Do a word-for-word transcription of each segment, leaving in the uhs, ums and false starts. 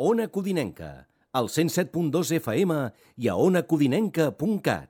Ona Codinenca, al cent set punt dos F M i a ona codinenca punt cat.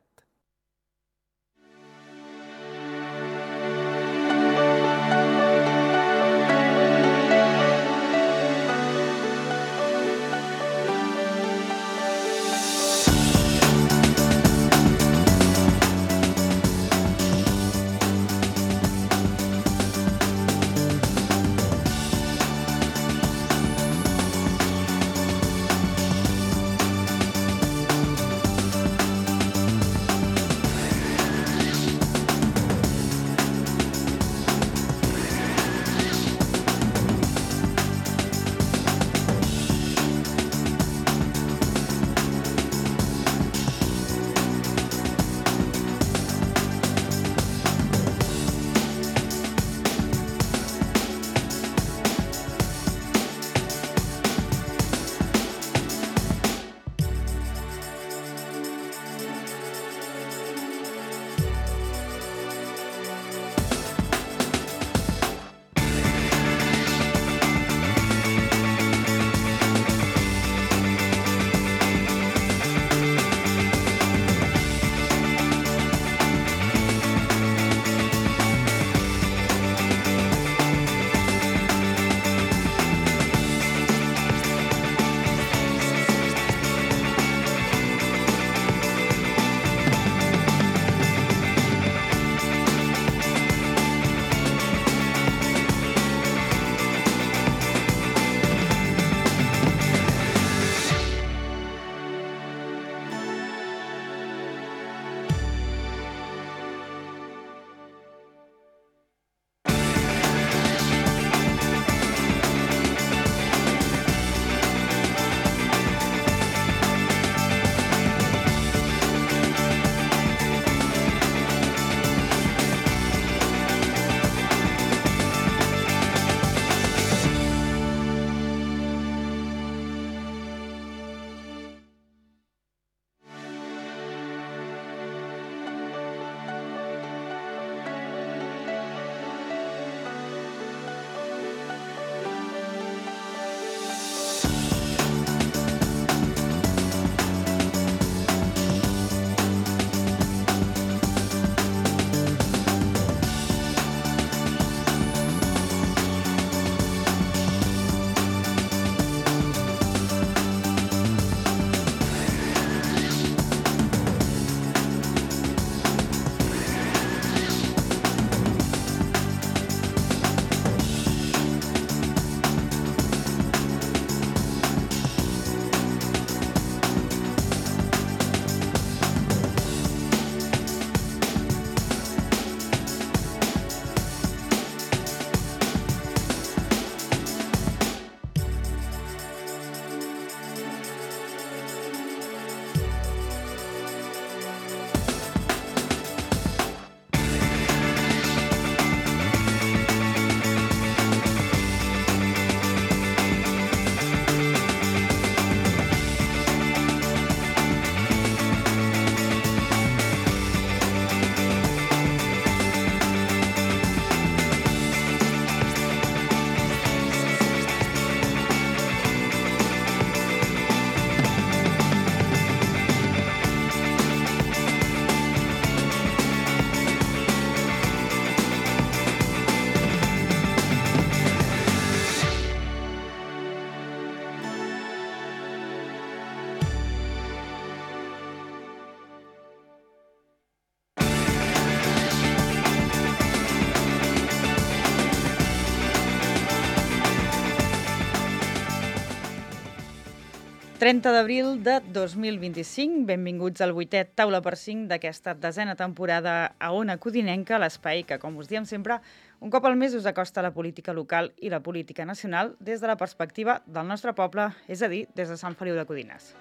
trenta d'abril de dos mil vint-i-cinc, benvinguts al vuitè Taula per cinc d'aquesta desena temporada a Ona Codinenca, l'espai que, com us diem sempre, un cop al mes us acosta la política local i la política nacional des de la perspectiva del nostre poble, és a dir, des de Sant Feliu de Codines.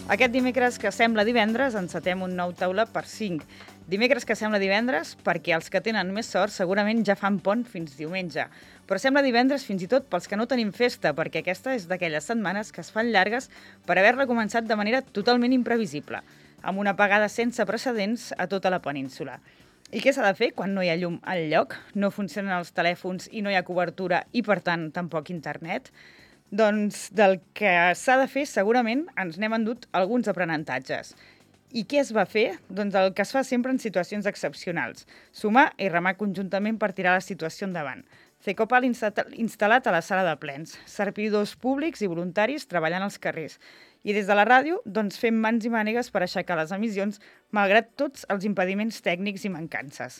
Aquest dimecres que sembla divendres encetem un nou Taula per cinc. Dimecres que sembla divendres perquè els que tenen més sort segurament ja fan pont fins diumenge. Però sembla divendres fins i tot pels que no tenim festa, perquè aquesta és d'aquelles setmanes que es fan llargues per haver-la començat de manera totalment imprevisible, amb una apagada sense precedents a tota la península. I què s'ha de fer quan no hi ha llum al lloc, no funcionen els telèfons i no hi ha cobertura i, per tant, tampoc internet? Doncs del que s'ha de fer, segurament, ens n'hem endut alguns aprenentatges. I què es va fer? Doncs el que es fa sempre en situacions excepcionals. Sumar i remar conjuntament per tirar la situació endavant. Cecopal instal·lat a la sala de plens. Servidors públics i voluntaris treballant als carrers. I des de la ràdio, doncs, fem mans i mànegues per aixecar les emissions, malgrat tots els impediments tècnics i mancances.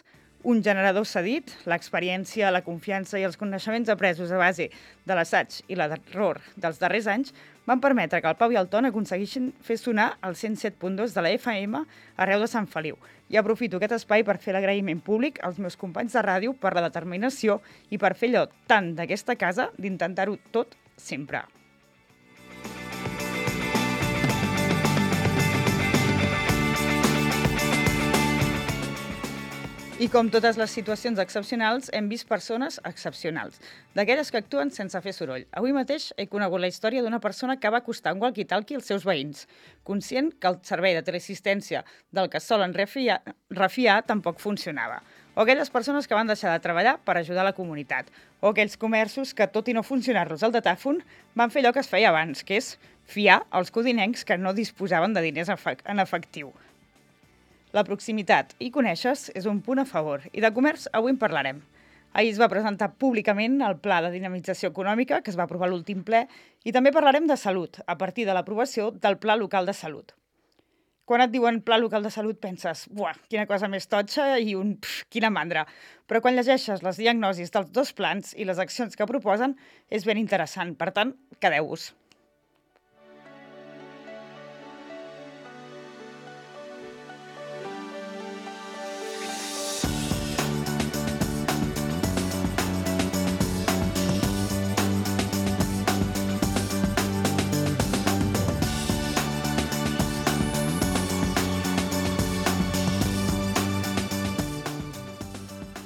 Un generador cedit, l'experiència, la confiança i els coneixements apresos a base de l'assaig i l'error dels darrers anys van permetre que el Pau i el Ton aconseguissin fer sonar el cent set punt dos de la F M arreu de Sant Feliu. I aprofito aquest espai per fer l'agraïment públic als meus companys de ràdio per la determinació i per fer allò tant d'aquesta casa d'intentar-ho tot sempre. I com totes les situacions excepcionals, hem vist persones excepcionals, d'aquelles que actuen sense fer soroll. Avui mateix he conegut la història d'una persona que va acostar un walkie-talkie als seus veïns, conscient que el servei de teleassistència del que solen refiar, refiar tampoc funcionava. O aquelles persones que van deixar de treballar per ajudar la comunitat. O aquells comerços que, tot i no funcionar-los al datàfon, van fer allò que es feia abans, que és fiar els codinencs que no disposaven de diners en efectiu. La proximitat i coneixes és un punt a favor, i de comerç avui en parlarem. Ahir es va presentar públicament el Pla de Dinamització Econòmica, que es va aprovar a l'últim ple, i també parlarem de salut, a partir de l'aprovació del Pla Local de Salut. Quan et diuen Pla Local de Salut penses, buah, quina cosa més totxa i un pf, quina mandra. Però quan llegeixes les diagnosis dels dos plans i les accions que proposen, és ben interessant. Per tant, quedeu-vos.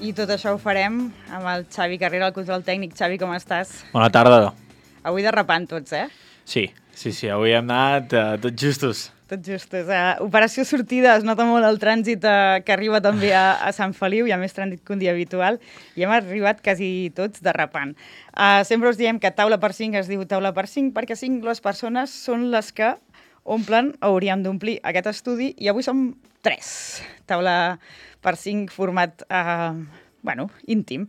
I tot això ho farem amb el Xavi Carrera, el control tècnic. Xavi, com estàs? Bona tarda. Avui derrapant tots, eh? Sí, sí, sí, avui hem anat uh, tots justos. Tots justos. Uh, operació sortida, es nota molt el trànsit uh, que arriba també a, a Sant Feliu, hi ha més trànsit que un dia habitual, i hem arribat quasi tots derrapant. Uh, sempre us diem que taula per cinc es diu taula per cinc, perquè cinc les persones són les que omplen, hauríem d'omplir aquest estudi, i avui som tres. Taula per cinc, format eh, bueno, íntim.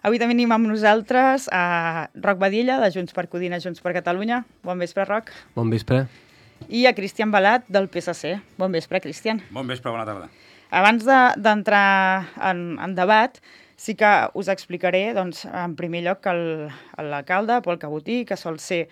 Avui també tenim amb nosaltres a Roc Badilla, de Junts per Codina, Junts per Catalunya. Bon vespre, Roc. Bon vespre. I a Cristian Balat, del P S C. Bon vespre, Cristian. Bon vespre, bona tarda. Abans d'entrar de, en, en debat, sí que us explicaré, doncs, en primer lloc, que l'alcalde, Pol Cabotí, que sol ser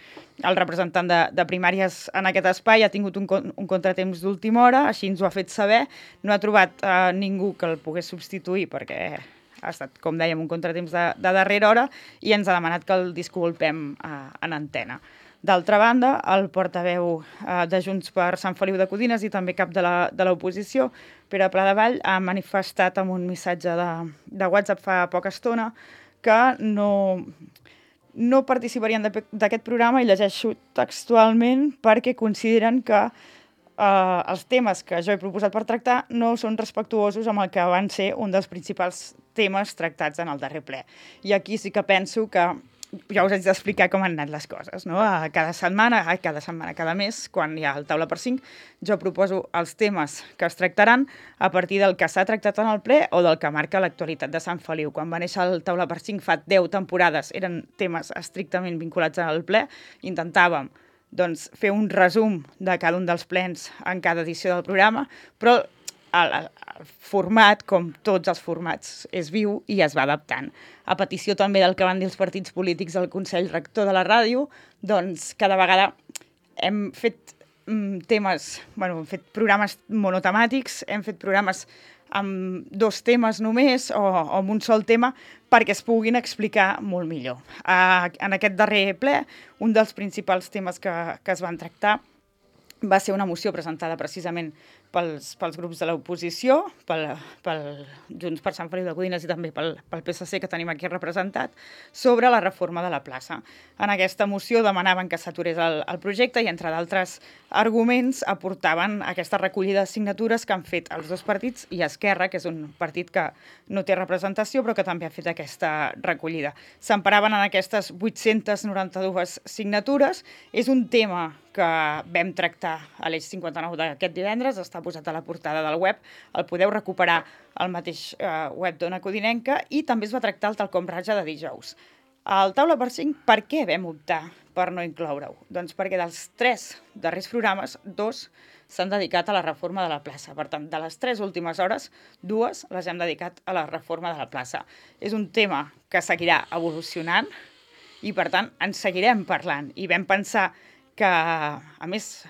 el representant de, de primàries en aquest espai, ha tingut un, un contratemps d'última hora, així ens ho ha fet saber. No ha trobat eh, ningú que el pogués substituir, perquè ha estat, com dèiem, un contratemps de, de darrera hora, i ens ha demanat que el disculpem eh, en antena. D'altra banda, el portaveu eh, de Junts per Sant Feliu de Codines i també cap de l'oposició, Pere Pladevall, ha manifestat amb un missatge de, de WhatsApp fa poca estona que no, no participarien d'aquest programa, i llegeixo textualment, perquè consideren que eh, els temes que jo he proposat per tractar no són respectuosos amb el que van ser un dels principals temes tractats en el darrer ple. I aquí sí que penso que ja us haig d'explicar com han anat les coses, no? A cada setmana, a cada setmana, cada mes, quan hi ha el taula per cinc, jo proposo els temes que es tractaran a partir del que s'ha tractat en el ple o del que marca l'actualitat de Sant Feliu. Quan va néixer el taula per cinc fa deu temporades, eren temes estrictament vinculats al ple. Intentàvem, doncs, fer un resum de cada un dels plens en cada edició del programa, però el, el format, com tots els formats, és viu i es va adaptant. A petició també del que van dir els partits polítics al Consell Rector de la ràdio, doncs cada vegada hem fet mm, temes, bueno, hem fet programes monotemàtics, hem fet programes amb dos temes només o, o amb un sol tema perquè es puguin explicar molt millor. Uh, en aquest darrer ple, un dels principals temes que, que es van tractar va ser una moció presentada precisament pels, pels grups de l'oposició, pel, pel Junts per Sant Feliu de Codines i també pel, pel P S C que tenim aquí representat, sobre la reforma de la plaça. En aquesta moció demanaven que s'aturés el, el projecte i, entre d'altres arguments, aportaven aquesta recollida de signatures que han fet els dos partits i Esquerra, que és un partit que no té representació però que també ha fet aquesta recollida. S'emparaven en aquestes vuit-centes noranta-dues signatures. És un tema que vam tractar a l'Eix cinquanta-nou d'aquest divendres, està posat a la portada del web, el podeu recuperar al mateix eh, web d'Ona Codinenca, i també es va tractar el Talcom Ratlla de dijous. Al Taula per cinc, per què vam optar per no incloure-ho? Doncs perquè dels tres darrers programes, dos s'han dedicat a la reforma de la plaça. Per tant, de les tres últimes hores, dues les hem dedicat a la reforma de la plaça. És un tema que seguirà evolucionant i, per tant, en seguirem parlant. I vam pensar que, a més,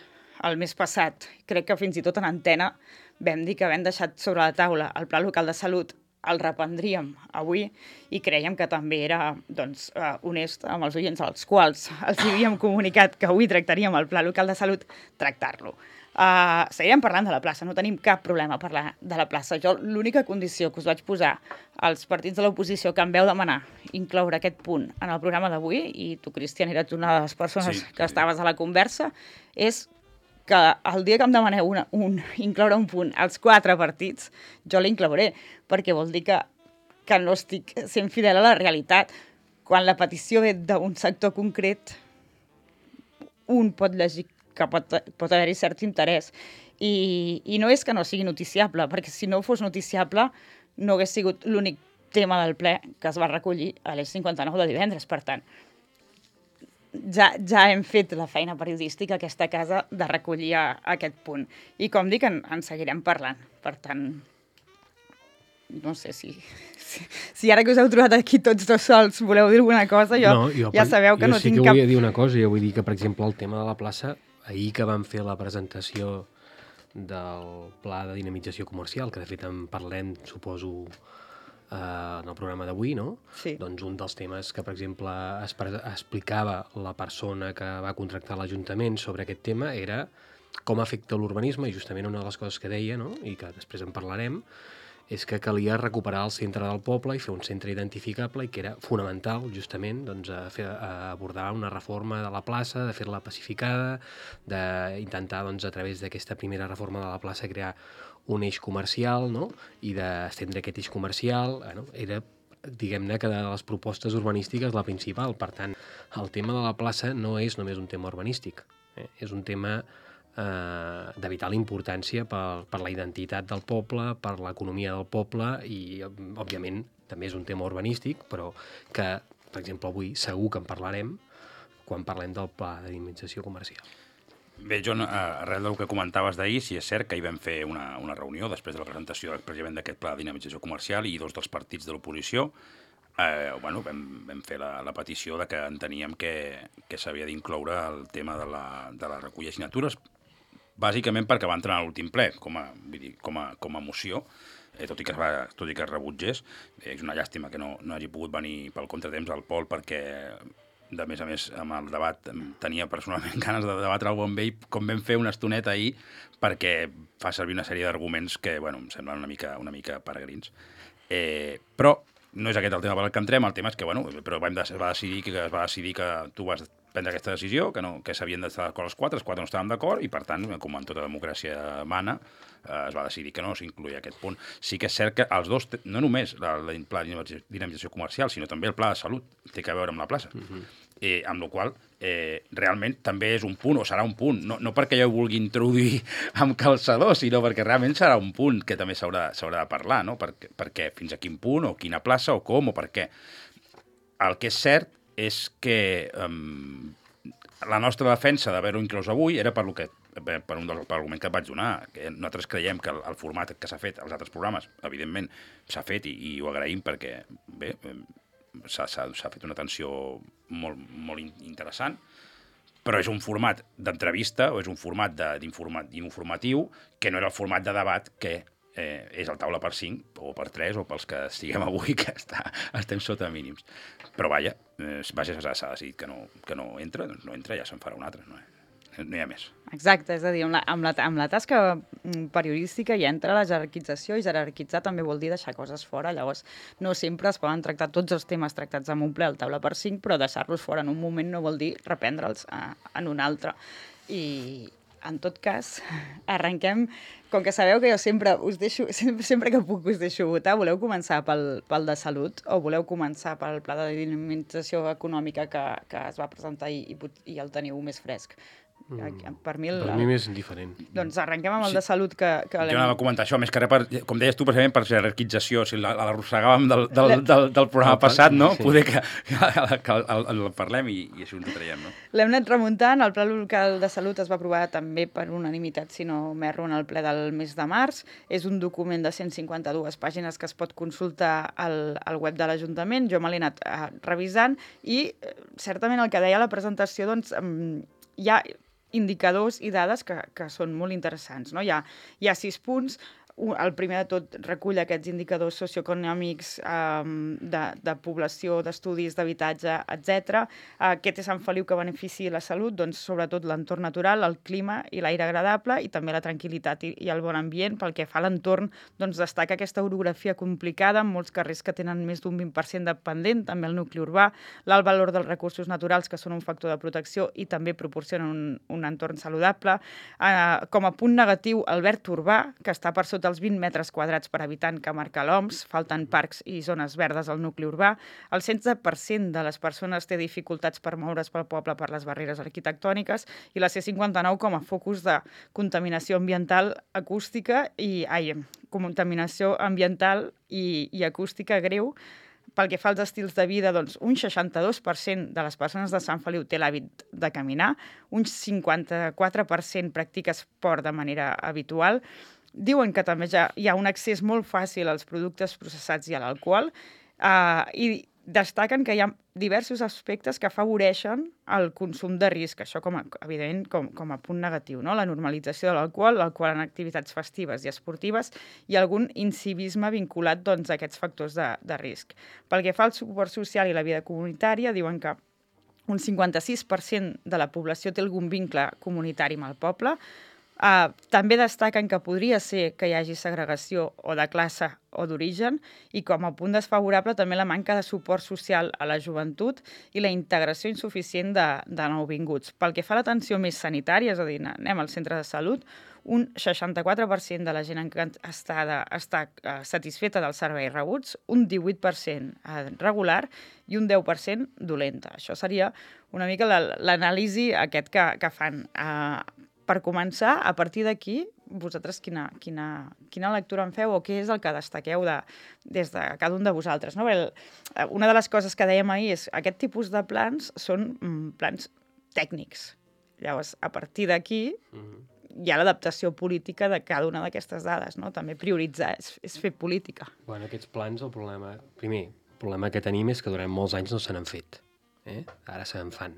el mes passat, crec que fins i tot en antena, vam dir que havent deixat sobre la taula el Pla Local de Salut, el reprendríem avui i creiem que també era doncs, honest amb els oients als quals els havíem comunicat que avui tractaríem el Pla Local de Salut, tractar-lo. Uh, seguirem parlant de la plaça, no tenim cap problema a parlar de la plaça. Jo l'única condició que us vaig posar als partits de l'oposició que em veu demanar incloure aquest punt en el programa d'avui, i tu, Cristian, eres una de les persones sí, que sí. estaves a la conversa, és que el dia que em demaneu una, un, incloure un punt als quatre partits, jo l'inclouré, perquè vol dir que, que no estic sent fidel a la realitat. Quan la petició ve d'un sector concret, un pot llegir que pot, pot haver-hi cert interès. I, I no és que no sigui noticiable, perquè si no fos noticiable no hagués sigut l'únic tema del ple que es va recollir a l'Eix cinquanta-nou de divendres. Per tant, ja, ja hem fet la feina periodística a aquesta casa de recollir a, a aquest punt. I com dic, en, en seguirem parlant. Per tant, no sé si, si, si ara que us heu trobat aquí tots dos sols voleu dir alguna cosa, jo, no, jo ja sabeu que no tinc cap... Jo sí que volia dir una cosa, jo vull dir que, per exemple, el tema de la plaça, ahir que vam fer la presentació del pla de dinamització comercial, que de fet en parlem, suposo, eh, en el programa d'avui, no? Sí. Doncs un dels temes que, per exemple, es explicava la persona que va contractar l'Ajuntament sobre aquest tema era com afecta l'urbanisme, i justament una de les coses que deia, no?, i que després en parlarem, és que calia recuperar el centre del poble i fer un centre identificable, i que era fonamental, justament, doncs, a fer, a abordar una reforma de la plaça, de fer-la pacificada, d'intentar, doncs, a través d'aquesta primera reforma de la plaça, crear un eix comercial, no?, i d'estendre aquest eix comercial. Bueno, era, diguem-ne, que de les propostes urbanístiques la principal. Per tant, el tema de la plaça no és només un tema urbanístic, eh? És un tema Eh, de vital importància per, per la identitat del poble, per l'economia del poble, i, òbviament, també és un tema urbanístic, però que, per exemple, avui segur que en parlarem quan parlem del pla de dinamització comercial. Bé, John, arrel del que comentaves d'ahir, sí és cert que hi vam fer una, una reunió després de la presentació precisament d'aquest pla de dinamització comercial, i dos dels partits de l'oposició Eh, bueno, vam, vam fer la, la petició de que enteníem que, que s'havia d'incloure el tema de la, de la recollida de signatures, bàsicament perquè va entrar a l'últim ple, com a, vull dir, com a, com a moció, eh, tot i que es va, tot i que es rebutgés. Eh, és una llàstima que no, no hagi pogut venir pel contratemps al Pol, perquè, de més a més, amb el debat tenia personalment ganes de debatre-ho amb ell, com vam fer una estoneta ahir, perquè fa servir una sèrie d'arguments que, bueno, em semblen una mica, una mica peregrins. Eh, però no és aquest el tema per al que entrem, el tema és que, bueno, però vam de, va decidir que es va decidir que tu vas prendre aquesta decisió, que, no, que s'havien d'estar d'acord els quatre, els quatre no estàvem d'acord, i per tant, com en tota democràcia mana, eh, es va decidir que no s'incluïa aquest punt. Sí que és cert que els dos, no només el pla de dinamització comercial, sinó també el pla de salut, té a veure amb la plaça. Uh-huh. eh, amb la qual eh, realment també és un punt, o serà un punt, no, no perquè jo ho vulgui introduir amb calçador, sinó perquè realment serà un punt que també s'haurà de parlar, no? Perquè, perquè fins a quin punt, o quina plaça, o com, o per què. El que és cert és que um, la nostra defensa d'haver-ho inclòs avui era per, lo que, per un dels arguments que et vaig donar, que nosaltres creiem que el, el format que s'ha fet als altres programes, evidentment, s'ha fet i, i ho agraïm perquè, bé, s'ha fet una atenció molt, molt interessant, però és un format d'entrevista o és un format d'informatiu que no era el format de debat que eh, és el taula per cinc o per tres o pels que estiguem avui, que està, estem sota mínims. Però vaja, eh, vaja s'ha decidit que no, que no entra, doncs no entra, ja se'n farà un altre. No? no hi ha més. Exacte, és a dir, amb la, amb la, amb la tasca periodística hi entra la jerarquització, i jerarquitzar també vol dir deixar coses fora. Llavors, no sempre es poden tractar tots els temes tractats en un ple al taula per cinc, però deixar-los fora en un moment no vol dir reprendre'ls en un altre. I, en tot cas, arrenquem. Com que sabeu que jo sempre us deixo, sempre, sempre que puc us deixo votar, voleu començar pel, pel de salut o voleu començar pel pla de dinamització econòmica que, que es va presentar i, i el teniu més fresc? Mm. Per mi, el, per mi més indiferent. Doncs arrenquem amb el Sí. de salut que... que Jo anava a comentar això, més que res, per, com deies tu, precisament per jerarquització, si la- l'arrossegàvem del, del, del, del programa El- passat, no? sí. Poder que, que, que el, el, el parlem i, i així ens ho traiem, no? L'hem anat remuntant. El Pla local de salut es va aprovar també per unanimitat, si no m'erro, en el ple del mes de març. És un document de cent cinquanta-dues pàgines que es pot consultar al, al web de l'Ajuntament. Jo me l'he anat eh, revisant i eh, certament el que deia a la presentació, doncs, eh, hi ha indicadors i dades que, que són molt interessants, no? Hi ha, hi ha sis punts. El primer de tot recull aquests indicadors socioeconòmics um, de, de població, d'estudis, d'habitatge, etcètera. Uh, què té Sant Feliu que benefici la salut? Doncs sobretot l'entorn natural, el clima i l'aire agradable, i també la tranquil·litat i, i el bon ambient. Pel que fa a l'entorn, doncs destaca aquesta orografia complicada, amb molts carrers que tenen més d'un vint per cent de pendent, també el nucli urbà, l'alt valor dels recursos naturals, que són un factor de protecció i també proporcionen un, un entorn saludable. Uh, com a punt negatiu, el verd urbà, que està per sota els vint metres quadrats per habitant que marca l'O M S, falten parcs i zones verdes al nucli urbà. El setze per cent de les persones té dificultats per moure's pel poble per les barreres arquitectòniques, i la C cinquanta-nou com a focus de contaminació ambiental acústica i ai, contaminació ambiental i, i acústica greu. Pel que fa als estils de vida, doncs, un seixanta-dos per cent de les persones de Sant Feliu té l'hàbit de caminar, un cinquanta-quatre per cent practica esport de manera habitual. Diuen que també ja hi ha un accés molt fàcil als productes processats i a l'alcohol, eh, i destaquen que hi ha diversos aspectes que afavoreixen el consum de risc, això com a, evidentment com, com a punt negatiu, no? La normalització de l'alcohol, l'alcohol en activitats festives i esportives, i algun incivisme vinculat, doncs, a aquests factors de, de risc. Pel que fa al suport social i la vida comunitària, diuen que un cinquanta-sis per cent de la població té algun vincle comunitari amb el poble. Uh, també destaquen que podria ser que hi hagi segregació o de classe o d'origen, i com a punt desfavorable també la manca de suport social a la joventut i la integració insuficient de, de nouvinguts. Pel que fa a l'atenció més sanitària, és a dir, anem al centre de salut, un seixanta-quatre per cent de la gent està, de, està uh, satisfeta dels serveis rebuts, un divuit per cent regular i un deu per cent dolenta. Això seria una mica l'anàlisi aquest que, que fan. Uh, Per començar, a partir d'aquí, vosaltres quina, quina, quina lectura en feu o què és el que destaqueu de, des de cada un de vosaltres? No? Bé, una de les coses que dèiem ahir és que aquest tipus de plans són mm, plans tècnics. Llavors, a partir d'aquí, mm-hmm, hi ha l'adaptació política de cada una d'aquestes dades, no? També prioritzar és, és fer política. Bueno, aquests plans, el problema... Primer, el problema que tenim és que durant molts anys no se n'han fet. Eh? Ara se n'en fan.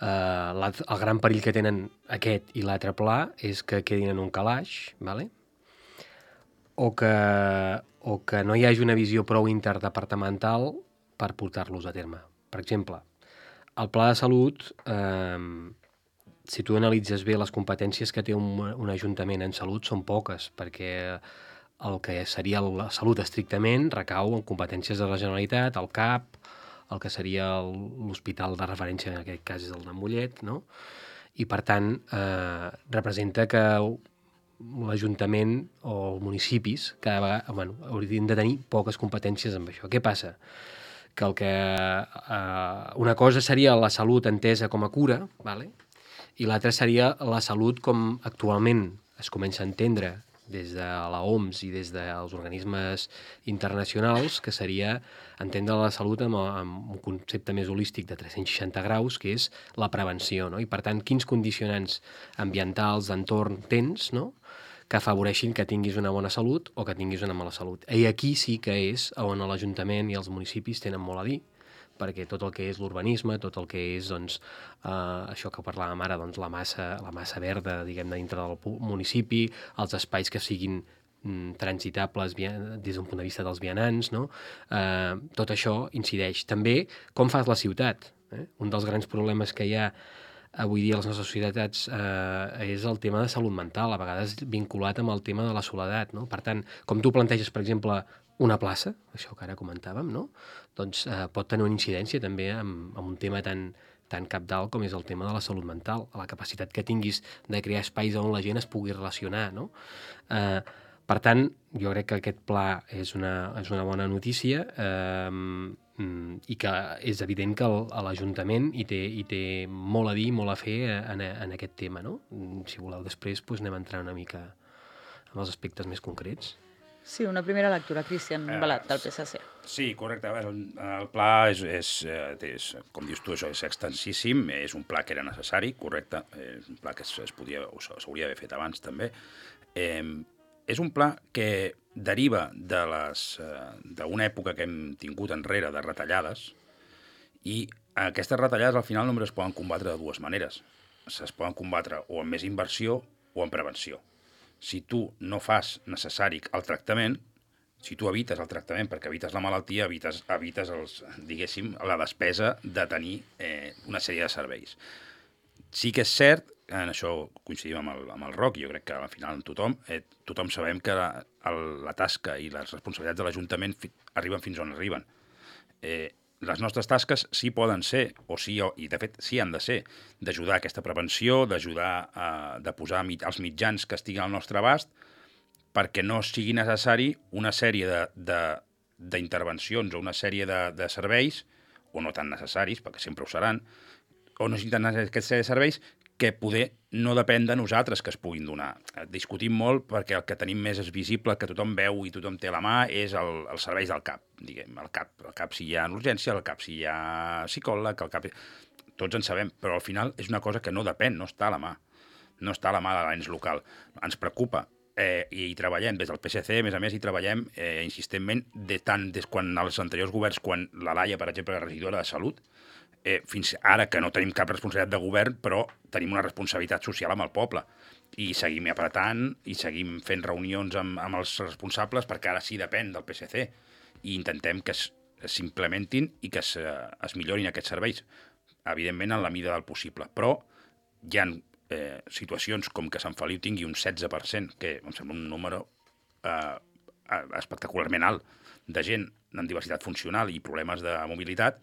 Uh, el gran perill que tenen aquest i l'altre pla és que quedin en un calaix, vale? o, que, o que no hi hagi una visió prou interdepartamental per portar-los a terme. Per exemple, el pla de salut, eh, si tu analitzes bé les competències que té un, un ajuntament en salut són poques, perquè el que seria la salut estrictament recau en competències de la Generalitat, el C A P, el que seria l'hospital de referència, en aquest cas és el de Mollet, no? I, per tant, eh, representa que l'Ajuntament o els municipis cada vegada, bueno, haurien de tenir poques competències amb això. Què passa? Que, el que eh, una cosa seria la salut entesa com a cura, vale? I l'altra seria la salut com actualment es comença a entendre des de la O M S i des dels organismes internacionals, que seria entendre la salut amb, amb un concepte més holístic de tres-cents seixanta graus, que és la prevenció, no? I, per tant, quins condicionants ambientals, d'entorn tens, no?, que afavoreixin que tinguis una bona salut o que tinguis una mala salut. I aquí sí que és on l'Ajuntament i els municipis tenen molt a dir, perquè tot el que és l'urbanisme, tot el que és, doncs, eh, això que parlàvem ara, doncs, la massa, la massa verda, diguem-ne, dintre del municipi, els espais que siguin mm, transitables des d'un punt de vista dels vianants, no? Eh, tot això incideix. També com fas la ciutat. Eh? Un dels grans problemes que hi ha avui dia a les nostres societats eh, és el tema de salut mental, a vegades vinculat amb el tema de la soledat, no? Per tant, com tu planteges, per exemple, una plaça, això que ara comentàvem, no? Doncs eh, pot tenir una incidència també amb, amb un tema tan, tan cabdal com és el tema de la salut mental, la capacitat que tinguis de crear espais on la gent es pugui relacionar, no? Eh, per tant, jo crec que aquest pla és una, és una bona notícia eh, i que és evident que el, l'Ajuntament hi té, hi té molt a dir, molt a fer en, en aquest tema, no? Si voleu després doncs anem a entrar una mica en els aspectes més concrets. Sí, una primera lectura, Cristian Balat, del P S C. Sí, correcte. El, el pla és, és, és, com dius tu, això és extensíssim, és un pla que era necessari, correcte, és un pla que es, es podia, s'hauria d'haver fet abans també. Eh, és un pla que deriva de les, d'una època que hem tingut enrere de retallades, i aquestes retallades al final només es poden combatre de dues maneres. Es poden combatre o amb més inversió o amb prevenció. Si tu no fas necessari el tractament, si tu evites el tractament perquè evites la malaltia, evites, evites els, diguéssim, la despesa de tenir eh, una sèrie de serveis. Sí que és cert, en això coincidim amb el, amb el Roc, jo crec que al final tothom, eh, tothom sabem que la, el, la tasca i les responsabilitats de l'Ajuntament fi, arriben fins on arriben. Eh, les nostres tasques sí poden ser, o sí, o, i de fet sí han de ser, d'ajudar a aquesta prevenció, d'ajudar a de posar mit, els mitjans que estiguin al nostre abast, perquè no sigui necessari una sèrie de, de, d'intervencions o una sèrie de, de serveis, o no tan necessaris, perquè sempre ho seran, o no necessiten aquesta sèrie de serveis que poder no depèn de nosaltres que es puguin donar. Discutim molt perquè el que tenim més és visible, que tothom veu i tothom té a la mà, és el, els serveis del CAP, diguem, el CAP. El CAP si hi ha urgència, el CAP si hi ha psicòleg, el CAP... Tots en sabem, però al final és una cosa que no depèn, no està a la mà. No està a la mà de l'ens local. Ens preocupa eh, i hi treballem des del P S C, a més a més hi treballem eh, insistentment de tant des quan els anteriors governs, quan la Laia, per exemple, era regidora de Salut, Eh, fins ara que no tenim cap responsabilitat de govern, però tenim una responsabilitat social amb el poble. I seguim apretant i seguim fent reunions amb, amb els responsables, perquè ara sí depèn del P S C. I intentem que s'implementin i que es, es millorin aquests serveis, evidentment en la mida del possible. Però hi ha eh, situacions com que Sant Feliu tingui un setze per cent, que em sembla un número eh, espectacularment alt, de gent amb diversitat funcional i problemes de mobilitat,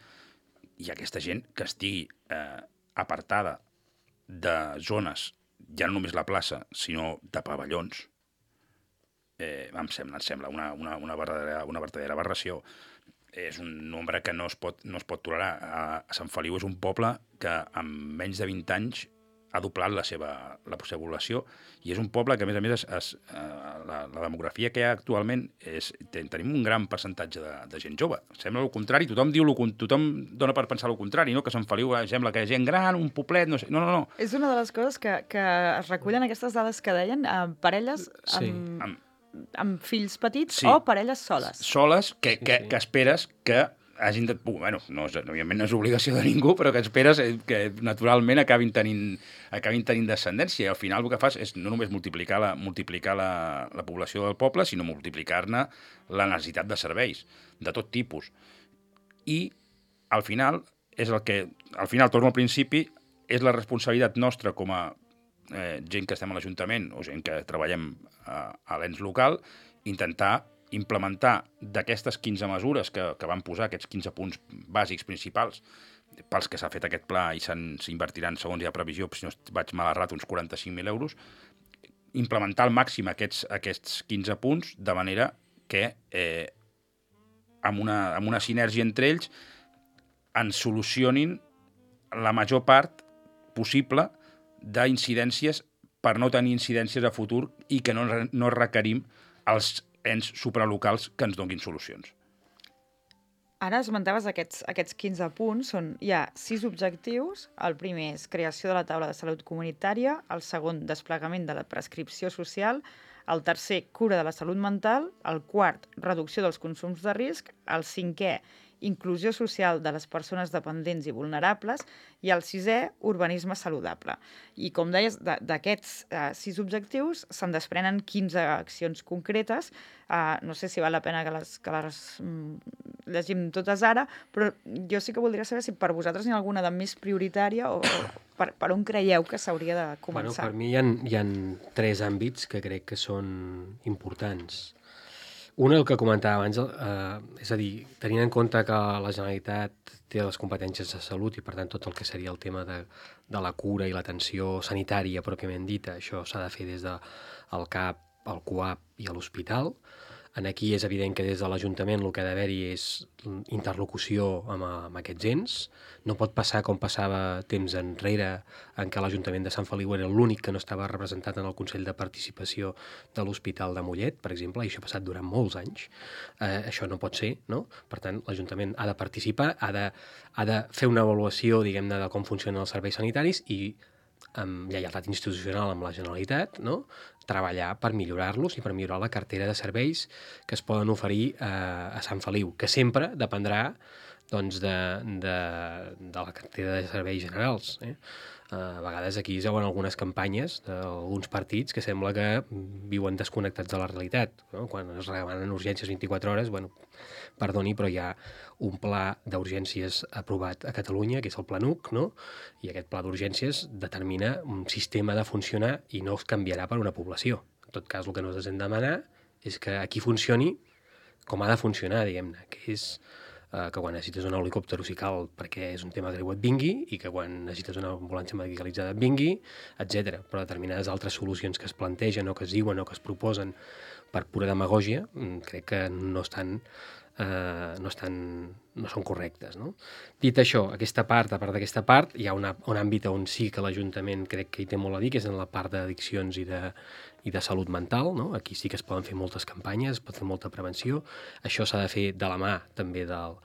i aquesta gent que estigui eh, apartada de zones, ja no només la plaça, sinó de pavellons, eh, em sembla, em sembla una, una, una, verdadera, una verdadera aberració. És un nombre que no es pot, no es pot tolerar. A, a Sant Feliu és un poble que en menys de vint anys ha doblat la seva, la seva població, i és un poble que, a més a més, es, es, la, la demografia que hi ha actualment, és, ten, tenim un gran percentatge de, de gent jove. Sembla el contrari, tothom diu lo, tothom dona per pensar el contrari, no? Que Sant Feliu sembla que hi ha gent gran, un poblet, no sé... No, no, no. És una de les coses que, que es recullen aquestes dades que deien, eh, parelles amb... Sí. amb amb fills petits, sí, o parelles soles. Soles, que, sí, que, sí. que esperes que hagin de... Bueno, no és, òbviament no és obligació de ningú, però que esperes que naturalment acabin tenint, acabin tenint descendència. I al final el que fas és no només multiplicar la, multiplicar la, la població del poble, sinó multiplicar-ne la necessitat de serveis, de tot tipus. I al final, és el que, al final, torno al principi, és la responsabilitat nostra com a eh, gent que estem a l'Ajuntament o gent que treballem a, a l'ens local, intentar implementar d'aquestes quinze mesures que, que van posar, aquests quinze punts bàsics principals, pels que s'ha fet aquest pla i s'invertiran, segons hi ha previsió, si no vaig mal errat, uns quaranta-cinc mil euros, implementar al màxim aquests, aquests quinze punts, de manera que eh, amb, una, amb una sinergia entre ells ens solucionin la major part possible d'incidències per no tenir incidències a futur i que no, no requerim els ens supralocals que ens donguin solucions. Ara esmentaves aquests, aquests quinze punts, són, hi ha sis objectius. El primer és creació de la taula de salut comunitària, el segon, desplegament de la prescripció social, el tercer, cura de la salut mental, el quart, reducció dels consums de risc, el cinquè, inclusió social de les persones dependents i vulnerables, i el sisè, urbanisme saludable. I com deies, d'aquests eh, sis objectius se'n desprenen quinze accions concretes. Eh, no sé si val la pena que les, que les mm, llegim totes ara, però jo sí que voldria saber si per vosaltres n'hi ha alguna de més prioritària o, o per, per on creieu que s'hauria de Bueno, començar? per mi hi ha, hi ha tres àmbits que crec que són importants. Un, el que comentava abans, eh, és a dir, tenint en compte que la Generalitat té les competències de salut i, per tant, tot el que seria el tema de, de la cura i l'atenció sanitària pròpiament dita, això s'ha de fer des del CAP, el CUAP i l'hospital. En aquí és evident que des de l'Ajuntament el que ha d'haver-hi és interlocució amb, amb aquests ens. No pot passar com passava temps enrere, en què l'Ajuntament de Sant Feliu era l'únic que no estava representat en el Consell de Participació de l'Hospital de Mollet, per exemple, i això ha passat durant molts anys. Eh, això no pot ser, no? Per tant, l'Ajuntament ha de participar, ha de, ha de fer una avaluació, diguem-ne, de com funcionen els serveis sanitaris i amb lleialtat institucional amb la Generalitat, no? Treballar per millorar-los i per millorar la cartera de serveis que es poden oferir eh, a Sant Feliu, que sempre dependrà doncs, de, de, de la cartera de serveis generals. Eh? A vegades aquí es veuen algunes campanyes d'alguns partits que sembla que viuen desconnectats de la realitat. No? Quan es demanen urgències vint-i-quatre hores, bueno, perdoni, però hi ha un pla d'urgències aprovat a Catalunya, que és el Planuc, no? I aquest pla d'urgències determina un sistema de funcionar i no es canviarà per una població. En tot cas, el que nosaltres hem de demanar és que aquí funcioni com ha de funcionar, diguem-ne, que és eh, que quan necessites un helicòpter si cal perquè és un tema greu et vingui i que quan necessites una ambulància medicalitzada et vingui, etcètera. Però determinades altres solucions que es plantegen o que es diuen o que es proposen per pura demagògia, crec que no estan Uh, no, estan, no són correctes. No? Dit això, aquesta part, a part d'aquesta part, hi ha una, un àmbit on sí que l'Ajuntament crec que hi té molt a dir, que és en la part d'addiccions i de, i de salut mental. No? Aquí sí que es poden fer moltes campanyes, es pot fer molta prevenció. Això s'ha de fer de la mà també del,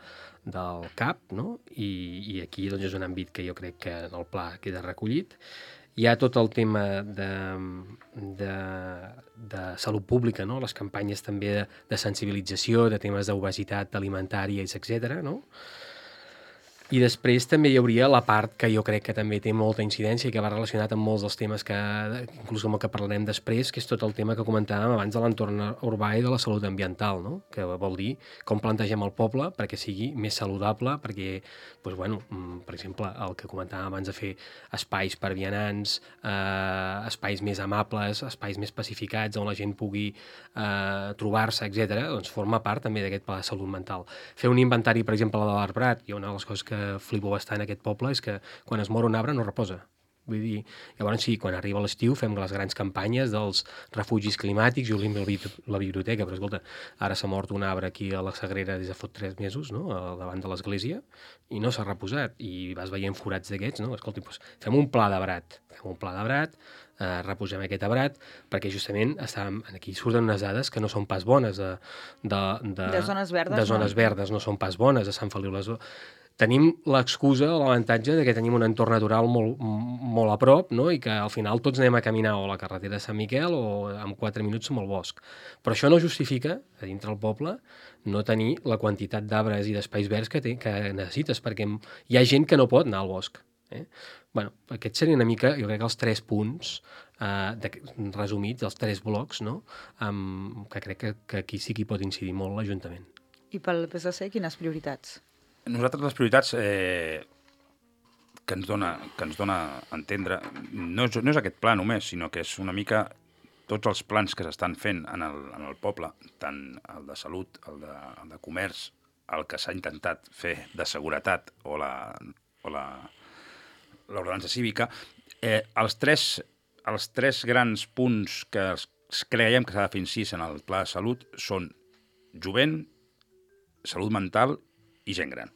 del CAP, no? I, i aquí doncs, és un àmbit que jo crec que en el pla queda recollit. Hi ha tot el tema de, de, de salut pública, no? Les campanyes també de, de sensibilització, de temes d'obesitat alimentària, etcètera. No? I després també hi hauria la part que jo crec que també té molta incidència i que va relacionat amb molts dels temes que, inclús amb el que parlarem després, que és tot el tema que comentàvem abans de l'entorn urbà i de la salut ambiental, no? Que vol dir com plantegem el poble perquè sigui més saludable, perquè, doncs, bueno, per exemple, el que comentàvem abans de fer espais per vianants, eh, espais més amables, espais més pacificats on la gent pugui eh, trobar-se, etcètera, doncs forma part també d'aquest pla de salut mental. Fer un inventari, per exemple, de l'Arbrat, i una de les coses que que flipo bastant en aquest poble és que quan es mor un arbre no reposa. Vull dir, llavors sí, quan arriba l'estiu fem les grans campanyes dels refugis climàtics i obrim la biblioteca, però escolta, ara s'ha mort un arbre aquí a la Sagrera des de fot tres mesos, no?, davant de l'església, i no s'ha reposat, i vas veient forats d'aquests, no? Escolta, doncs fem un pla d'arbrat, fem un pla d'arbrat, eh, reposem aquest arbrat, perquè justament estàvem, aquí surten unes dades que no són pas bones de, de, de, de zones verdes, de zones no? verdes, no són pas bones a Sant Feliu les Tenim l'excusa o l'avantatge de que tenim un entorn natural molt, molt a prop, no? I que al final tots anem a caminar o a la carretera de Sant Miquel o en quatre minuts som al bosc. Però això no justifica, a dintre del poble, no tenir la quantitat d'arbres i d'espais verds que, té, que necessites, perquè hi ha gent que no pot anar al bosc. Eh? Bueno, aquests serien una mica, jo crec, els tres punts eh, de, resumits, els tres blocs, no? Um, que crec que, que aquí sí que hi pot incidir molt l'Ajuntament. I pel P S C, quines prioritats? Nosaltres les prioritats eh, que, ens dona, que ens dona a entendre no és, no és aquest pla només, sinó que és una mica tots els plans que s'estan fent en el, en el poble, tant el de salut, el de, el de comerç, el que s'ha intentat fer de seguretat o la o la l'ordenança cívica, eh, els, tres, els tres grans punts que creiem que s'ha de fer incís en el pla de salut són jovent, salut mental i gent gran.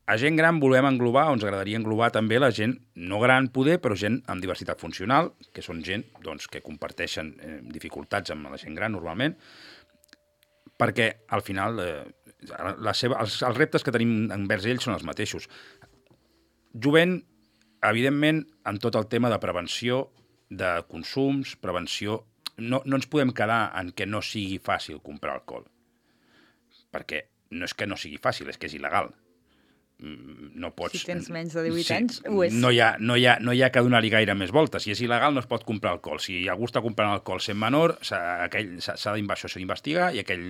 A gent gran volem englobar, o ens agradaria englobar també la gent no gran poder, però gent amb diversitat funcional, que són gent doncs, que comparteixen eh, dificultats amb la gent gran normalment, perquè al final eh, la seva, els, els reptes que tenim envers ells són els mateixos. Jovent, evidentment, amb tot el tema de prevenció de consums, prevenció... No, no ens podem quedar en que no sigui fàcil comprar alcohol, perquè no és que no sigui fàcil, és que és il·legal. No pots... Si tens menys de divuit sí, anys, ho és. No hi ha, no hi ha, no hi ha que donar-hi gaire més voltes. Si és il·legal, no es pot comprar alcohol. Si algú està comprant alcohol sent menor, s'ha d'investigar i aquell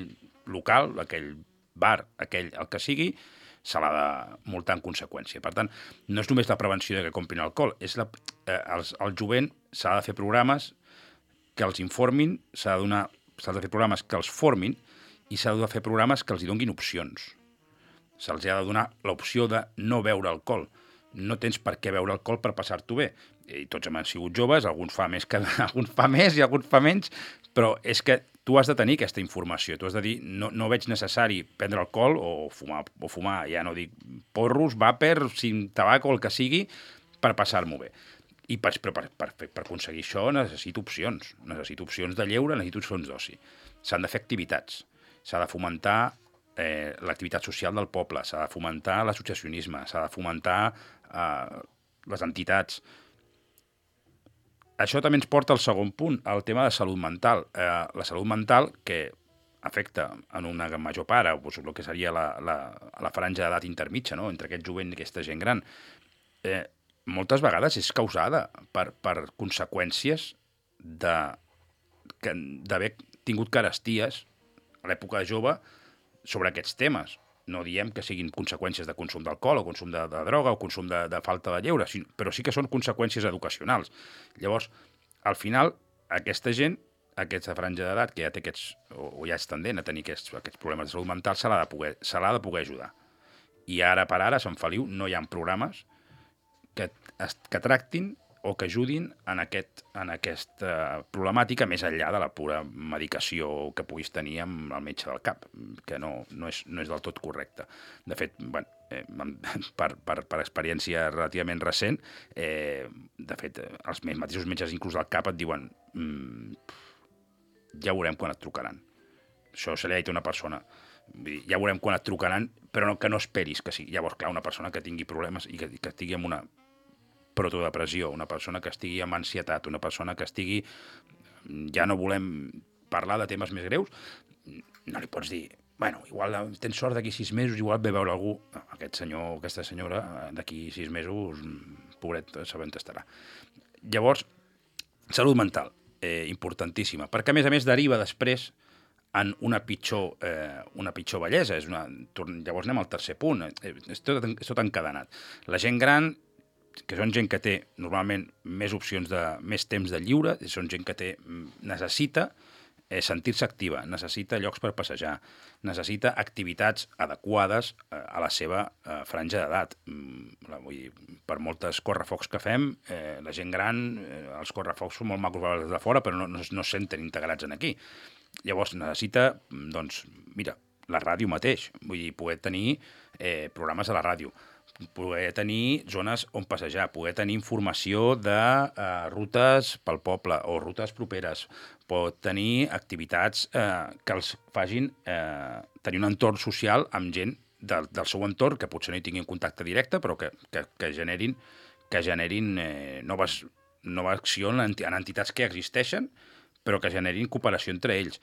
local, aquell bar, aquell el que sigui, se l'ha de multar en conseqüència. Per tant, no és només la prevenció de que comprin alcohol, és la, eh, els, el jovent s'ha de fer programes que els informin, s'ha de, donar, s'ha de fer programes que els formin i s'ha de fer programes que els hi donguin opcions. Se'ls ha de donar l'opció de no beure alcohol. No tens per què beure alcohol per passar-t'ho bé. I tots hem sigut joves, alguns fa més que alguns fa més i alguns fa menys, però és que tu has de tenir aquesta informació. Tu has de dir, no, no veig necessari prendre alcohol o fumar, o fumar, ja no dic porros, vàper, tabac o el que sigui, per passar-m'ho bé. I per, per, per, per aconseguir això necessito opcions. Necessito opcions de lleure, necessito opcions d'oci. S'han de fer activitats. S'ha de fomentar eh, l'activitat social del poble, s'ha de fomentar l'associacionisme, s'ha de fomentar eh, les entitats. Això també ens porta al segon punt, al tema de salut mental. Eh, la salut mental, que afecta en una major part, doncs, el que seria la, la, la franja d'edat intermitja, no? Entre aquest jovent i aquesta gent gran, eh, moltes vegades és causada per, per conseqüències d'haver tingut caresties a l'època jove sobre aquests temes. No diem que siguin conseqüències de consum d'alcohol o consum de, de droga o consum de, de falta de lleure, però sí que són conseqüències educacionals. Llavors, al final, aquesta gent, aquesta franja d'edat, que ja té aquests, o, o ja és tendent a tenir aquests, aquests problemes de salut mental, se l'ha de poder, se l'ha de poder ajudar. I ara per ara, a Sant Feliu, no hi ha programes que, que tractin o que ajudin en, aquest, en aquesta problemàtica més enllà de la pura medicació que puguis tenir amb el metge del cap, que no, no, és, no és del tot correcte. De fet, bueno, eh, per, per, per experiència relativament recent, eh, de fet, els mateixos metges inclús del cap et diuen mmm, ja veurem quan et trucaran. Això se li ha dit a una persona. Ja veurem quan et trucaran, però no, que no esperis que sigui. Llavors, clar, una persona que tingui problemes i que, que estigui amb una protodepressió, una persona que estigui amb ansietat, una persona que estigui... Ja no volem parlar de temes més greus, no li pots dir, bueno, igual tens sort d'aquí sis mesos, igual ve veure algú. Aquest senyor o aquesta senyora, d'aquí sis mesos, pobret, sabent estarà. Llavors, salut mental, eh, importantíssima, perquè a més a més deriva després en una pitjor, eh, una pitjor bellesa. És una... Llavors anem al tercer punt, és tot, és tot encadenat. La gent gran, que són gent que té normalment més opcions de més temps de lliure, són gent que té, necessita eh, sentir-se activa, necessita llocs per passejar, necessita activitats adequades eh, a la seva eh, franja d'edat. Mm, vull dir, per moltes correfocs que fem, eh, la gent gran, eh, els correfocs són molt macos des de fora, però no, no, no es senten integrats en aquí. Llavors necessita, doncs, mira, la ràdio mateix, vull dir, poder tenir eh, programes a la ràdio, poder tenir zones on passejar, poder tenir informació de eh, rutes pel poble o rutes properes, pot tenir activitats eh, que els facin eh, tenir un entorn social amb gent del, del seu entorn, que potser no hi tinguin contacte directe, però que, que, que generin, que generin eh, noves, nova acció en, en entitats que existeixen, però que generin cooperació entre ells.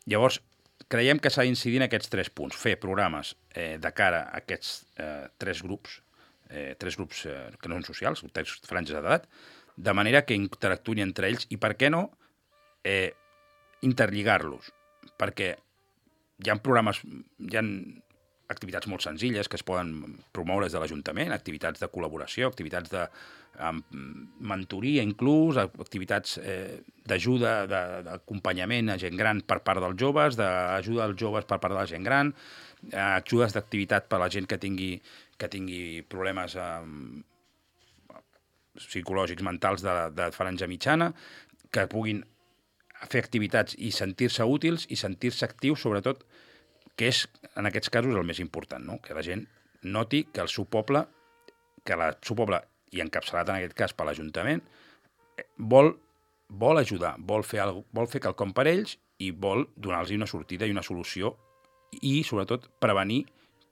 Llavors, creiem que s'ha d'incidir en aquests tres punts, fer programes eh, de cara a aquests eh, tres grups, eh, tres grups eh, que no són socials, tres franges d'edat, de manera que interactuïn entre ells i, per què no, eh, interlligar-los, perquè hi ha programes, hi ha activitats molt senzilles que es poden promoure des de l'Ajuntament, activitats de col·laboració, activitats de um, mentoria inclús, activitats eh, d'ajuda, d'acompanyament a gent gran per part dels joves, d'ajuda als joves per part de la gent gran, eh, ajudes d'activitat per a la gent que tingui, que tingui problemes eh, psicològics, mentals de, de franja mitjana, que puguin fer activitats i sentir-se útils i sentir-se actius, sobretot, que és, en aquests casos, el més important, no? Que la gent noti que el seu poble, que el seu poble, i encapçalat en aquest cas per l'Ajuntament, vol, vol ajudar, vol fer, algo, vol fer quelcom per ells i vol donar-los una sortida i una solució i, sobretot, prevenir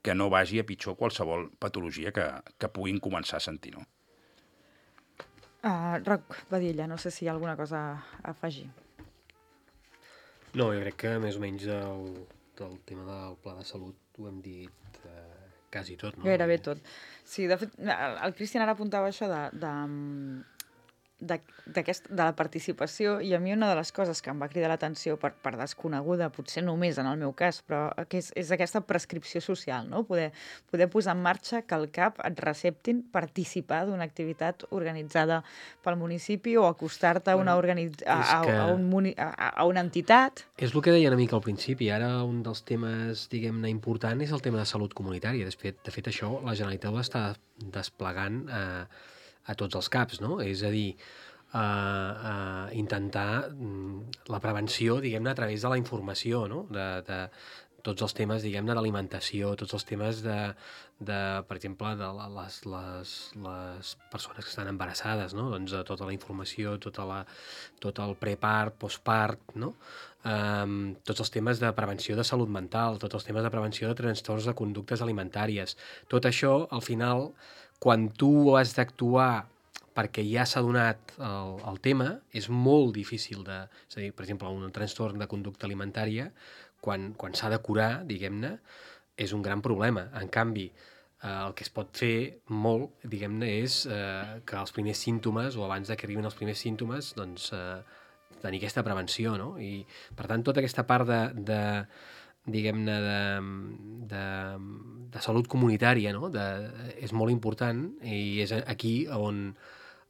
que no vagi a pitjor qualsevol patologia que, que puguin començar a sentir, no? Uh, Roc Badilla, no sé si hi ha alguna cosa a afegir. No, jo crec que més o menys el, el tema del pla de salut ho hem dit eh, quasi tot, no? Gairebé tot. Sí, de fet, el Cristian ara apuntava això de, de de, d'aquest, de la participació, i a mi una de les coses que em va cridar l'atenció per, per desconeguda, potser només en el meu cas, però que és, és aquesta prescripció social, no? Poder, poder posar en marxa que al CAP et receptin participar d'una activitat organitzada pel municipi o acostar-te a, una organitz... a, a, que... a, un muni... a, a una entitat. És el que deia una mica al principi. Ara un dels temes, diguem-ne, important és el tema de salut comunitària. De fet, de fet això la Generalitat ho està desplegant a, a tots els CAPs, no? És a dir, a, a intentar la prevenció, diguem-ne, a través de la informació, no? De, de tots els temes, diguem-ne, d'alimentació, tots els temes de, de per exemple, de les, les, les persones que estan embarassades, no? Doncs de tota la informació, tota la, tot el prepart, postpart, no? Um, tots els temes de prevenció de salut mental, tots els temes de prevenció de trastorns de conductes alimentàries. Tot això, al final, quan tu has d'actuar perquè ja s'ha donat el, el tema, és molt difícil de... És a dir, per exemple, un trastorn de conducta alimentària, quan, quan s'ha de curar, diguem-ne, és un gran problema. En canvi, eh, el que es pot fer molt, diguem-ne, és eh, que els primers símptomes, o abans de que arribin els primers símptomes, doncs, eh, tenir aquesta prevenció, no? I, per tant, tota aquesta part de... de diguem-ne, de, de, de salut comunitària, no? De, és molt important i és aquí on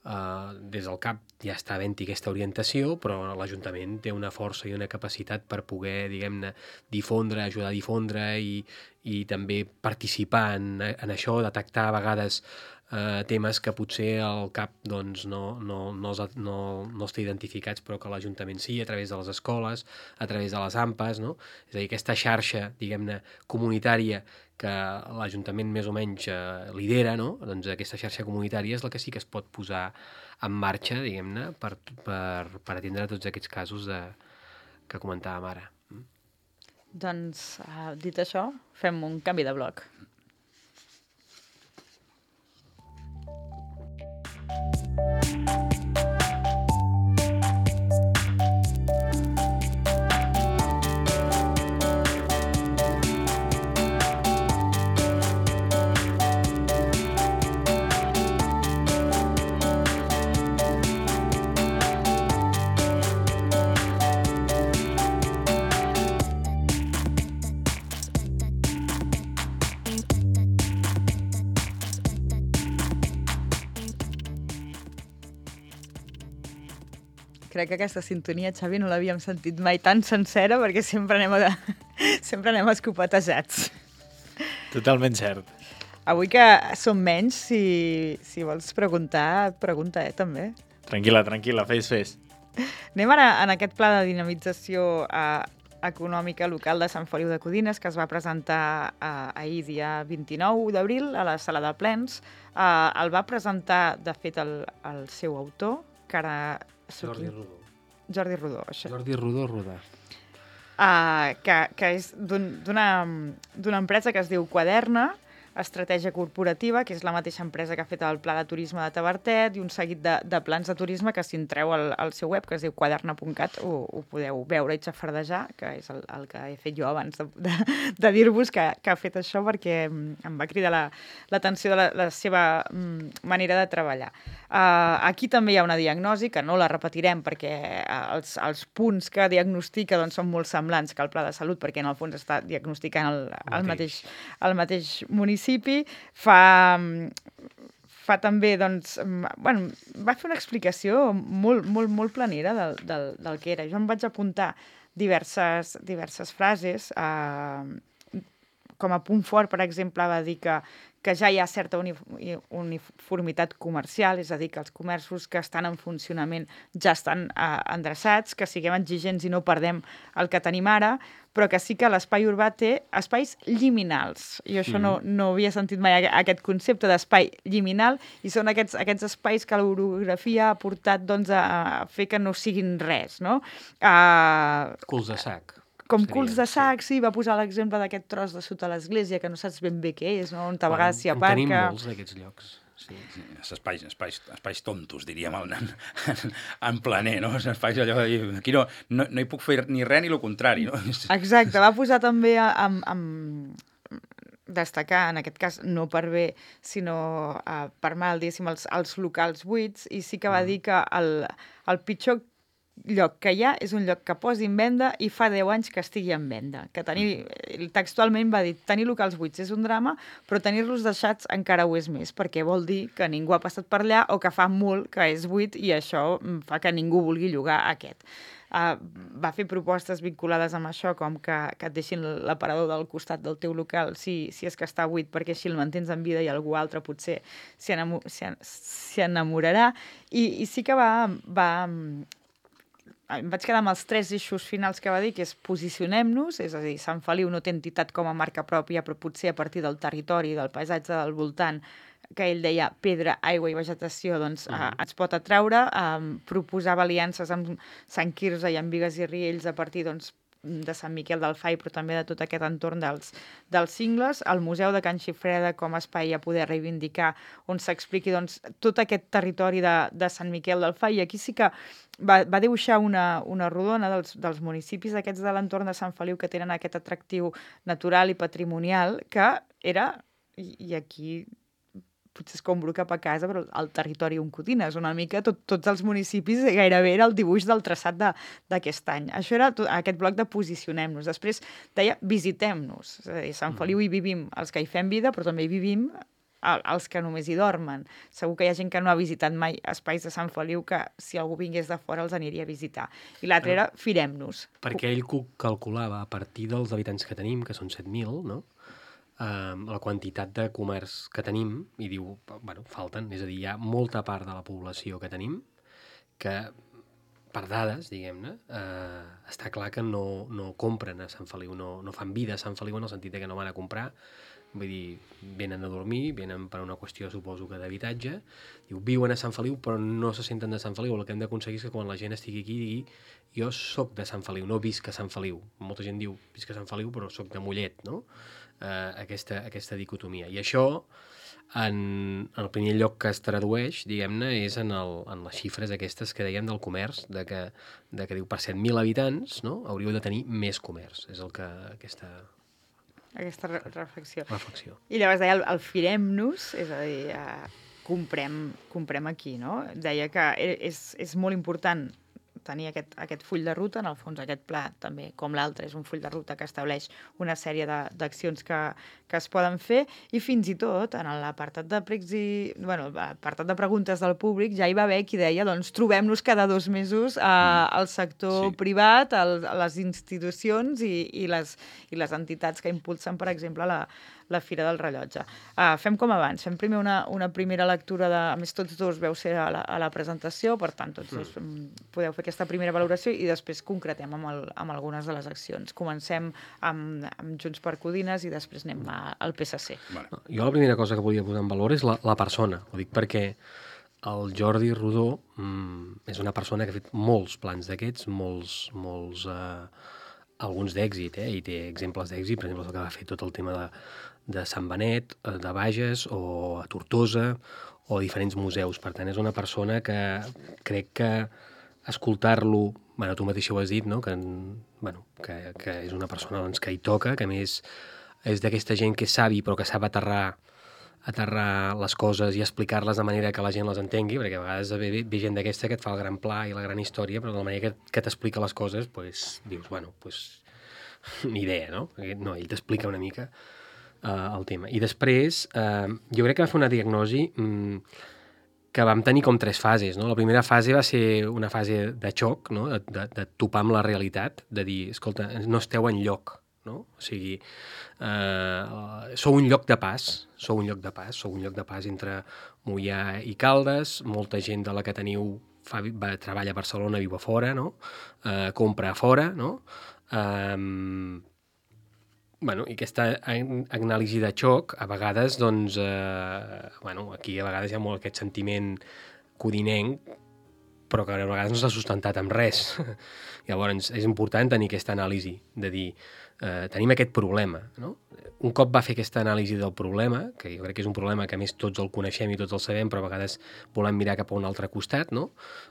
Uh, des del CAP ja està havent-hi aquesta orientació, però l'Ajuntament té una força i una capacitat per poder, diguem-ne, difondre, ajudar a difondre i, i també participar en, en això, detectar a vegades uh, temes que potser el CAP doncs, no, no, no, els, no, no els té identificats, però que l'Ajuntament sí, a través de les escoles, a través de les AMPAs, no? És a dir, aquesta xarxa, diguem-ne, comunitària que l'Ajuntament més o menys eh, lidera, no? Doncs aquesta xarxa comunitària és la que sí que es pot posar en marxa, diguem-ne, per, per, per atendre tots aquests casos de, que comentàvem ara. Mm? Doncs, uh, dit això, fem un canvi de bloc. Crec que aquesta sintonia, Xavi, no l'havíem sentit mai tan sencera perquè sempre anem, a de... sempre anem escopetejats. Totalment cert. Avui que som menys, si, si vols preguntar, pregunta, eh, també. Tranquil·la, tranquil·la, fes, fes. Anem ara en aquest pla de dinamització eh, econòmica local de Sant Feliu de Codines, que es va presentar eh, ahir, dia vint-i-nou d'abril, a la sala de plens. Eh, el va presentar, de fet, el, el seu autor, que ara... Jordi Rodó. Jordi Rodó, això. Jordi Rodó Rodà. Uh, que, que és d'una d'una empresa que es diu Quaderna, Estratègia Corporativa, que és la mateixa empresa que ha fet el Pla de Turisme de Tavertet i un seguit de, de plans de turisme que si entreu al, al seu web, que es diu quaderna punt cat, ho, ho podeu veure i xafardejar, que és el, el que he fet jo abans de, de, de dir-vos que, que ha fet això, perquè em va cridar l'atenció la, de la, la seva manera de treballar. Uh, aquí també hi ha una diagnosi, que no la repetirem perquè els, els punts que diagnostica doncs, són molt semblants que el Pla de Salut, perquè en el fons està diagnosticant el, el, mateix, el mateix municipi. Fa, fa també, doncs, bueno, va fer una explicació molt, molt, molt planera del, del, del que era. Jo em vaig apuntar diverses, diverses frases. Eh, com a punt fort, per exemple, va dir que que ja hi ha certa uniformitat comercial, és a dir, que els comerços que estan en funcionament ja estan eh, endreçats, que siguem exigents i no perdem el que tenim ara, però que sí que l'espai urbà té espais liminals. I això mm. no, no havia sentit mai aquest concepte d'espai liminal, i són aquests, aquests espais que l'orografia ha portat doncs, a fer que no siguin res, no? Uh, Culs de sac. Com seria, culs de sac, sí, va posar l'exemple d'aquest tros de sota l'església, que no saps ben bé què és, no? On a vegades s'hi aparca. En tenim molts d'aquests llocs. Sí, sí, espais, espais, espais tontos, diríem, en, en, en planer, no? Espais allò de dir, aquí no, no, no hi puc fer ni res ni el contrari, no? Exacte, va posar també amb, amb destacar, en aquest cas, no per bé, sinó uh, per mal, diguéssim, els, els locals buits, i sí que va dir que el, el pitjor lloc que hi ha és un lloc que posi en venda i fa deu anys que estigui en venda. Que tenir, textualment va dir, tenir locals buits és un drama, però tenir-los deixats encara ho és més, perquè vol dir que ningú ha passat per allà o que fa molt que és buit i això fa que ningú vulgui llogar aquest. Uh, va fer propostes vinculades amb això, com que, que et deixin l'aparador del costat del teu local si, si és que està buit, perquè així el mantens en vida i algú altre potser s'hi enamo, enamorarà. I, i sí que va... va em vaig quedar amb els tres eixos finals que va dir, que és posicionem-nos, és a dir, Sant Feliu no té entitat com a marca pròpia, però potser a partir del territori, del paisatge del voltant, que ell deia pedra, aigua i vegetació, doncs uh -huh. eh, ens pot atraure. Eh, proposava aliances amb Sant Quirze i amb Bigues i Riells a partir, doncs, de Sant Miquel del Fai, però també de tot aquest entorn dels, dels cingles, el Museu de Can Xifreda com a espai a poder reivindicar, on s'expliqui doncs, tot aquest territori de, de Sant Miquel del Fai, i aquí sí que va, va dibuixar una, una rodona dels, dels municipis aquests de l'entorn de Sant Feliu que tenen aquest atractiu natural i patrimonial, que era, i, i aquí potser escombro cap a casa, però el territori on cotines, una mica tot, tots els municipis, gairebé era el dibuix del traçat d'aquest any. Això era tot, aquest bloc de posicionem-nos. Després deia visitem-nos. És a dir, Sant Feliu hi vivim els que hi fem vida, però també hi vivim els que només hi dormen. Segur que hi ha gent que no ha visitat mai espais de Sant Feliu que si algú vingués de fora els aniria a visitar. I l'altre era firem-nos. Perquè ell calculava a partir dels habitants que tenim, que són set mil, no?, Uh, la quantitat de comerç que tenim, i diu, bueno, falten, és a dir, hi ha molta part de la població que tenim que, per dades, diguem-ne, uh, està clar que no, no compren a Sant Feliu, no, no fan vida a Sant Feliu en el sentit que no van a comprar, vull dir, venen a dormir, venen per una qüestió, suposo que d'habitatge, diu, viuen a Sant Feliu però no se senten de Sant Feliu. El que hem d'aconseguir és que quan la gent estigui aquí digui, jo soc de Sant Feliu, no visc a Sant Feliu. Molta gent diu, visc a Sant Feliu però soc de Mollet, no? Uh, aquesta, aquesta dicotomia. I això, en, en el primer lloc que es tradueix, diguem-ne, és en, el, en les xifres aquestes que dèiem del comerç, de que, de que diu, per set mil habitants, no?, hauríeu de tenir més comerç. És el que aquesta... aquesta re reflexió. reflexió. I llavors deia el, el firem-nos, és a dir, uh, comprem, comprem aquí, no? Deia que és, és molt important tenir aquest, aquest full de ruta, en el fons aquest pla també, com l'altre, és un full de ruta que estableix una sèrie d'accions que, que es poden fer, i fins i tot en l'apartat de pregs i, bueno, l'apartat de preguntes del públic ja hi va haver qui deia, doncs, trobem-nos cada dos mesos eh, al sector sí. privat, al, a les institucions i, i, les, i les entitats que impulsen, per exemple, la, la Fira del Rellotge. Uh, fem com abans, fem primer una, una primera lectura, de, a més tots dos veu ser a la, a la presentació, per tant tots dos mm. podeu fer aquesta primera valoració i després concretem amb, el, amb algunes de les accions. Comencem amb, amb Junts per Codines i després anem a, al P S C. Vale. Jo la primera cosa que volia posar en valor és la, la persona. Ho dic perquè el Jordi Rodó mm, és una persona que ha fet molts plans d'aquests, molts, molts eh, alguns d'èxit, eh? I té exemples d'èxit, per exemple, el que va fer tot el tema de, de Sant Benet, de Bages, o a Tortosa, o a diferents museus. Per tant, és una persona que crec que escoltar-lo, bueno, tu mateix ho has dit, no?, que, bueno, que, que és una persona doncs, que hi toca, que a més és d'aquesta gent que és savi però que sap aterrar aterrar les coses i explicar-les de manera que la gent les entengui, perquè a vegades ve, ve gent d'aquesta que et fa el gran pla i la gran història, però de la manera que, que t'explica les coses, pues, dius, bueno, pues, ni idea, no? No, ell t'explica una mica uh, el tema. I després, uh, jo crec que va fer una diagnosi um, que vam tenir com tres fases, no? La primera fase va ser una fase de xoc, no?, de, de, de topar amb la realitat, de dir, escolta, no esteu enlloc, no? O sigui, eh, sou un lloc de pas, sou un lloc de pas, sou un lloc de pas entre Moià i Caldes, molta gent de la que teniu fa, va, treballa a Barcelona, viu a fora, no? Eh, compra a fora, no? Eh, bueno, i aquesta anàlisi de xoc, a vegades, doncs, eh, bueno, aquí a vegades hi ha molt aquest sentiment codinenc, però que a vegades no s'ha sustentat amb res. Llavors, és important tenir aquesta anàlisi, de dir, eh, tenim aquest problema, no? Un cop va fer aquesta anàlisi del problema, que jo crec que és un problema que a més tots el coneixem i tots el sabem, però a vegades volem mirar cap a un altre costat, no?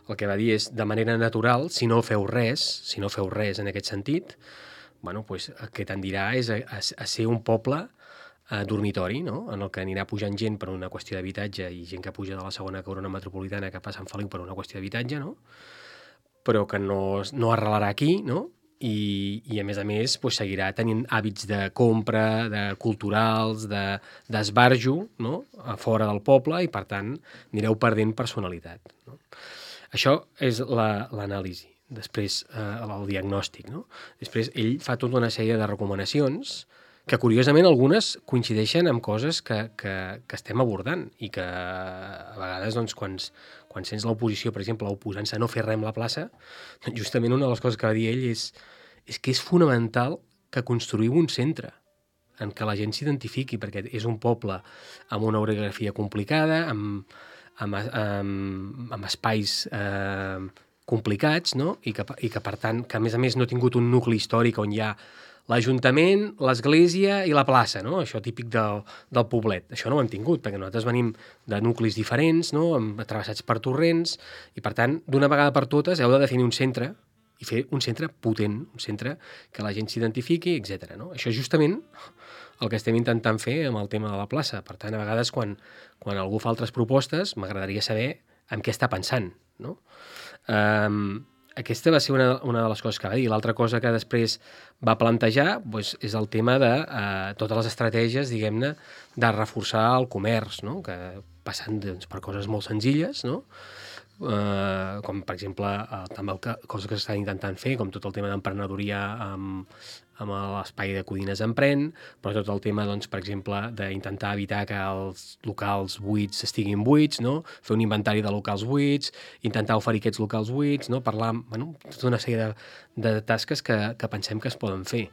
El que va dir és, de manera natural, si no feu res, si no feu res en aquest sentit, bueno, pues, el que tendirà és a, a, a ser un poble eh, dormitori, no? En el que anirà pujant gent per una qüestió d'habitatge i gent que puja de la segona corona metropolitana cap a Sant Feliu per una qüestió d'habitatge, no? Però que no, no arrelarà aquí, no? I, i a més a més pues, seguirà tenint hàbits de compra, de culturals, de, d'esbarjo, no? A fora del poble, i per tant anireu perdent personalitat. No? Això és la, l'anàlisi, després eh, el diagnòstic. No? Després ell fa tota una sèrie de recomanacions que curiosament algunes coincideixen amb coses que, que, que estem abordant i que a vegades doncs, quan, quan sents l'oposició, per exemple, oposant-se a no fer res amb la plaça, justament una de les coses que va dir ell és, és que és fonamental que construïu un centre en què la gent s'identifiqui, perquè és un poble amb una orografia complicada, amb, amb, amb, amb espais eh, complicats, no? I, que, i que, per tant, que a més a més no ha tingut un nucli històric on hi ha l'Ajuntament, l'església i la plaça, no? Això típic del, del poblet. Això no ho hem tingut, perquè nosaltres venim de nuclis diferents, no? Travessats per torrents, i per tant, d'una vegada per totes heu de definir un centre i fer un centre potent, un centre que la gent s'identifiqui, etcètera. No? Això és justament el que estem intentant fer amb el tema de la plaça. Per tant, a vegades, quan, quan algú fa altres propostes, m'agradaria saber en què està pensant. No? Um, Aquesta va ser una, una de les coses que va dir. L'altra cosa que després va plantejar doncs, és el tema de eh, totes les estratègies, diguem-ne, de reforçar el comerç, no? Que passant doncs, per coses molt senzilles, no? Eh, com per exemple eh, també el que, coses que s'estan intentant fer, com tot el tema d'emprenedoria amb, amb l'espai de Codines Emprèn, però tot el tema, doncs, per exemple, d'intentar evitar que els locals buits estiguin buits, no? Fer un inventari de locals buits, intentar oferir aquests locals buits, no? Parlar, bueno, tota una sèrie de, de tasques que, que pensem que es poden fer.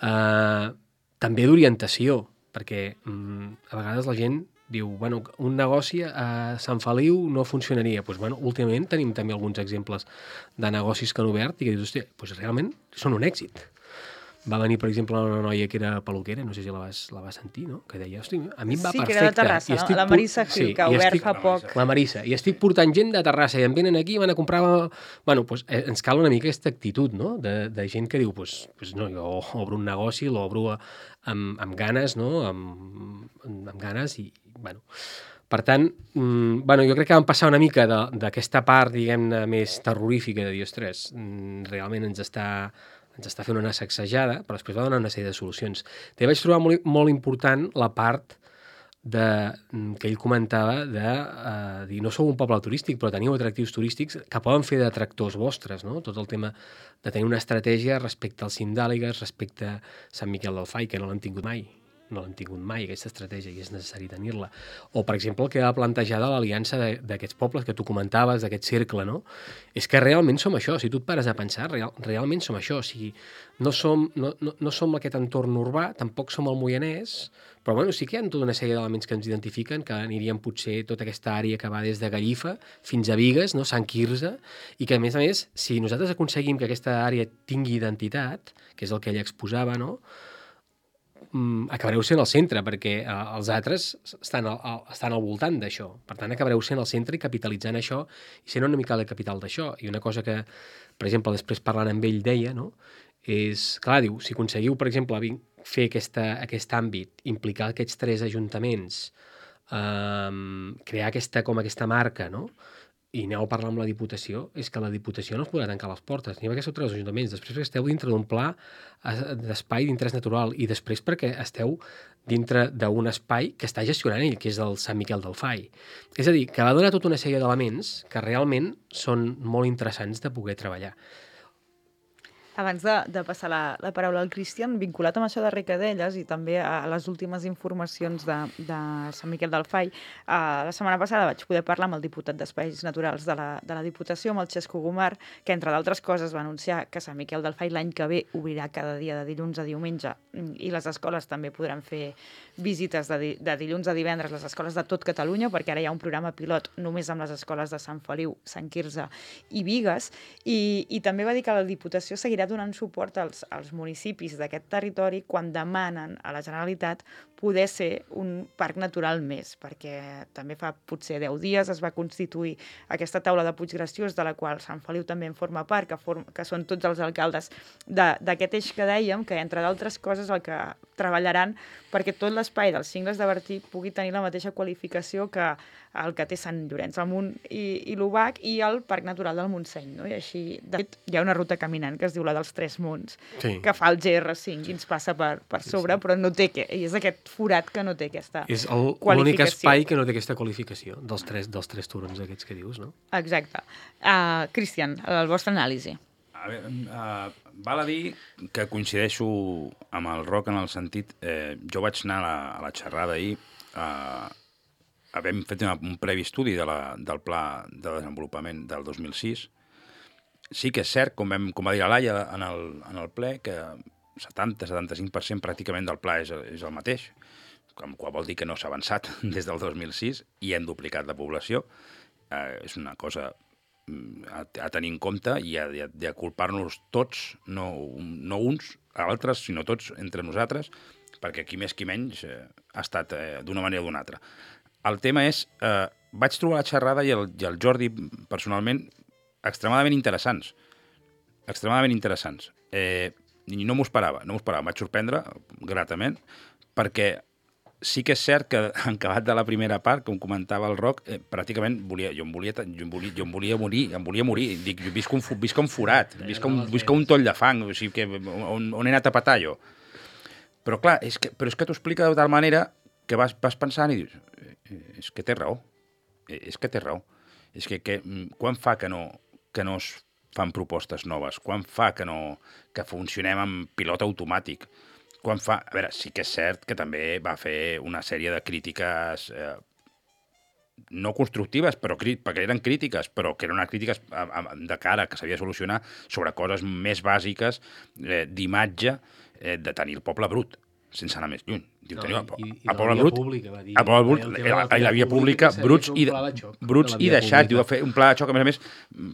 Uh, també d'orientació, perquè um, a vegades la gent diu, bueno, un negoci a Sant Feliu no funcionaria. Pues, bueno, últimament tenim també alguns exemples de negocis que han obert i que dius, hòstia, pues realment són un èxit. Va venir, per exemple, una noia que era peluquera, no sé si la vas, la vas sentir, no? Que deia, hosti, a mi em va sí, perfecte. Sí, que era de Terrassa, no? La Marissa Gil, sí, que ha obert estic... fa poc. La Marissa. I estic portant gent de Terrassa i em venen aquí i van a comprar... Bueno, doncs eh, ens cal una mica aquesta actitud, no? De, de gent que diu, pues, pues no, jo obro un negoci, l'obro amb, amb ganes, no? Amb, amb ganes i, bueno... Per tant, mmm, bueno, jo crec que vam passar una mica d'aquesta part, diguem-ne, més terrorífica de dir, ostres, realment ens està... ens està fent una sacsejada, però després va donar una sèrie de solucions. També vaig trobar molt, molt important la part de, que ell comentava de eh, dir, no sou un poble turístic, però teniu atractius turístics que poden fer d'atractors vostres, no? Tot el tema de tenir una estratègia respecte al cim d'Àligues, respecte a Sant Miquel del Fai, que no l'han tingut mai. No l'han tingut mai, aquesta estratègia, i és necessari tenir-la. O, per exemple, el que va plantejar de l'aliança d'aquests pobles que tu comentaves, d'aquest cercle, no? És que realment som això, si tu et pares a pensar, real, realment som això. O sigui, no som, no, no, no som aquest entorn urbà, tampoc som el Moianès, però bueno, sí que hi ha tota una sèrie d'elements que ens identifiquen, que anirien potser tota aquesta àrea que va des de Gallifa fins a Bigues, no? Sant Quirze, i que, a més a més, si nosaltres aconseguim que aquesta àrea tingui identitat, que és el que ell exposava, no? acabareu sent el centre, perquè eh, els altres estan al, al, estan al voltant d'això. Per tant, acabareu sent el centre i capitalitzant això i sent una mica la capital d'això. I una cosa que, per exemple, després parlant amb ell deia, no? És, clar, diu, si aconseguiu, per exemple, fer aquesta, aquest àmbit, implicar aquests tres ajuntaments, eh, crear aquesta, com aquesta marca, no? I aneu a parlar amb la Diputació, és que la Diputació no us podrà tancar les portes, ni perquè esteu tres ajuntaments, després perquè esteu dintre d'un pla d'espai d'interès natural i després perquè esteu dintre d'un espai que està gestionant ell, que és el Sant Miquel del Fai. És a dir, que va donar tota una sèrie d'elements que realment són molt interessants de poder treballar. Abans de, de passar la, la paraula al Cristian, vinculat amb això de Recadelles i també a les últimes informacions de, de Sant Miquel del Fai, eh, la setmana passada vaig poder parlar amb el diputat d'Espais Naturals de la, de la Diputació, amb el Xesco Gomar, que entre d'altres coses va anunciar que Sant Miquel del Fai l'any que ve obrirà cada dia de dilluns a diumenge i les escoles també podran fer visites de, di, de dilluns a divendres, les escoles de tot Catalunya, perquè ara hi ha un programa pilot només amb les escoles de Sant Feliu, Sant Quirze i Bigues, i, i també va dir que la Diputació seguirà donant suport als, als municipis d'aquest territori quan demanen a la Generalitat poder ser un parc natural més, perquè també fa potser deu dies es va constituir aquesta taula de Puiggraciós, de la qual Sant Feliu també en forma part, que, form, que són tots els alcaldes d'aquest eix que dèiem, que entre d'altres coses el que treballaran perquè tot l'espai dels cingles de Bertí pugui tenir la mateixa qualificació que el que té Sant Llorenç, el Munt i, i l'Ubac i el Parc Natural del Montseny. No? I així, de fet, hi ha una ruta caminant que es diu la dels Tres Munts, Sí. que fa el G R cinc i ens passa per, per sobre, però no té que, i és aquest forat que no té aquesta És el- l'únic qualificació. espai que no té aquesta qualificació dels tres, dels tres turons aquests que dius, no? Exacte. Uh, Cristian, el vostre anàlisi. A veure, uh, val a dir que coincideixo amb el Roc en el sentit... Eh, jo vaig anar a la, a la xerrada ahir, uh, havent fet una, un previ estudi de la, del pla de desenvolupament del dos mil sis. Sí que és cert, com, vam, com va dir la Laia en el, en el ple, que setanta a setanta-cinc per cent pràcticament del pla és, és el mateix, com qual vol dir que no s'ha avançat des del dos mil sis i hem duplicat la població. Eh, és una cosa a, a tenir en compte i a, a, a culpar-nos tots, no, no uns a altres, sinó tots entre nosaltres, perquè qui més qui menys eh, ha estat eh, d'una manera o d'una altra. El tema és, eh, vaig trobar la xerrada i el, i el Jordi, personalment, extremadament interessants. Extremadament interessants. Eh, I no m'ho esperava, no m'ho esperava. Em vaig sorprendre gratament, perquè sí que és cert que en acabat de la primera part, com comentava el Roc, eh, pràcticament volia, jo, em volia, jo, em volia, jo em volia morir, em volia morir. Dic, jo visc un, visc un forat, visc un, visc un toll de fang, o sigui, que, on, on he anat a petar jo. Però clar, és que, però és que t'ho explica de tal manera que vas, vas pensant i dius, és que té raó, és que té raó. És que, que quan fa que no, que no es fan propostes noves? Quan fa que no que funcionem amb pilot automàtic? Quan fa... A veure, sí que és cert que també va fer una sèrie de crítiques eh, no constructives, però perquè eren crítiques, però que eren unes crítiques de cara que s'havia de solucionar sobre coses més bàsiques eh, d'imatge eh, de tenir el poble brut, sense anar més lluny. Diu, No, teniu, i, i a la poble via brut, pública, va dir, a poble brut, el tema de la, la la, via la via pública, pública, que bruts s'havia i, de fer un pla de xoc bruts de la i via deixats, pública. diu, fer un pla de xoc, a més a més,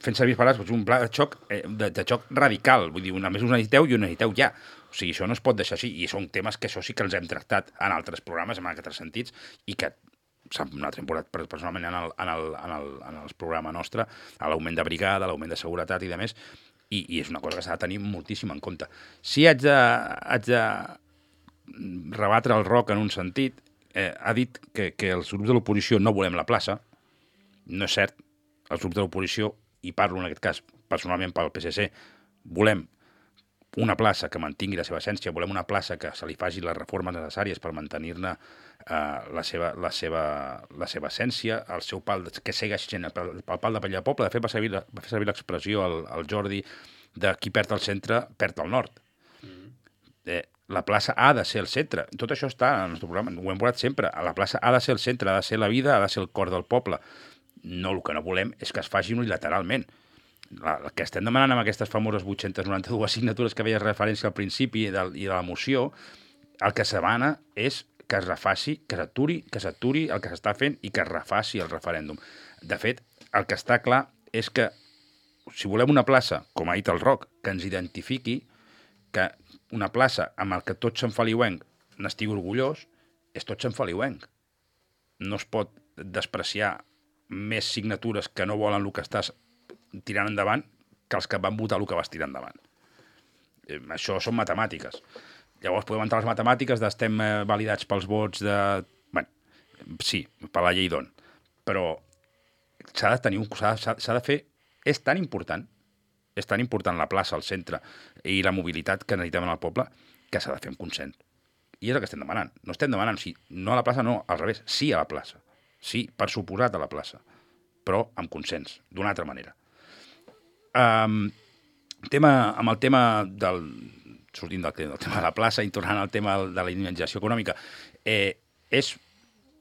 fent servir les paraules, un pla de xoc, eh, de, de xoc radical, vull dir, a més us necessiteu i ho necessiteu ja. O sigui, això no es pot deixar així, i són temes que això sí que els hem tractat en altres programes, en altres sentits, i que nosaltres hem portat personalment en el, en el, en el, en el programa nostre, a l'augment de brigada, a l'augment de seguretat i de més, i, i és una cosa que s'ha de tenir moltíssim en compte. Si haig de, haig de rebatre el Roc en un sentit, eh, ha dit que, que els grups de l'oposició no volem la plaça. No és cert. Els grups de l'oposició, i parlo en aquest cas personalment pel P S C, volem una plaça que mantingui la seva essència, volem una plaça que se li faci les reformes necessàries per mantenir-ne eh, la, seva, la, seva, la seva essència, el seu pal, que segueixi sent el, el pal de pell de poble. De fet, va, servir, va fer servir l'expressió al, al Jordi de qui perd el centre, perd el nord. Eh, la plaça ha de ser el centre. Tot això està en el nostre programa, ho hem volat sempre. La plaça ha de ser el centre, ha de ser la vida, ha de ser el cor del poble. No, el que no volem és que es faci unilateralment. La, el que estem demanant amb aquestes famoses vuit-centes noranta-dues signatures que veies referència al principi i de, i de la moció, el que se demana és que es refaci, que s'aturi, que s'aturi el que s'està fent i que es refaci el referèndum. De fet, el que està clar és que si volem una plaça, com ha dit el Roc, que ens identifiqui, que una plaça amb el que tot Sant Feliuenc n'estigui orgullós, és tot Sant Feliuenc. No es pot despreciar més signatures que no volen el que estàs tirant endavant que els que van votar el que vas tirar endavant. Eh, això són matemàtiques. Llavors podem entrar a les matemàtiques d'estem eh, validats pels vots de... Bueno, sí, per la llei d'on. Però s'ha de tenir un... s'ha de fer... És tan important, és tan important la plaça, el centre i la mobilitat que necessitem en el poble que s'ha de fer amb consens. I és el que estem demanant. No estem demanant sí, no a la plaça, no, al revés, sí a la plaça. Sí, per suposat a la plaça, però amb consens, d'una altra manera. Um, tema, amb el tema del... sortint del, del tema de la plaça i tornant al tema de la dinamització econòmica, eh, és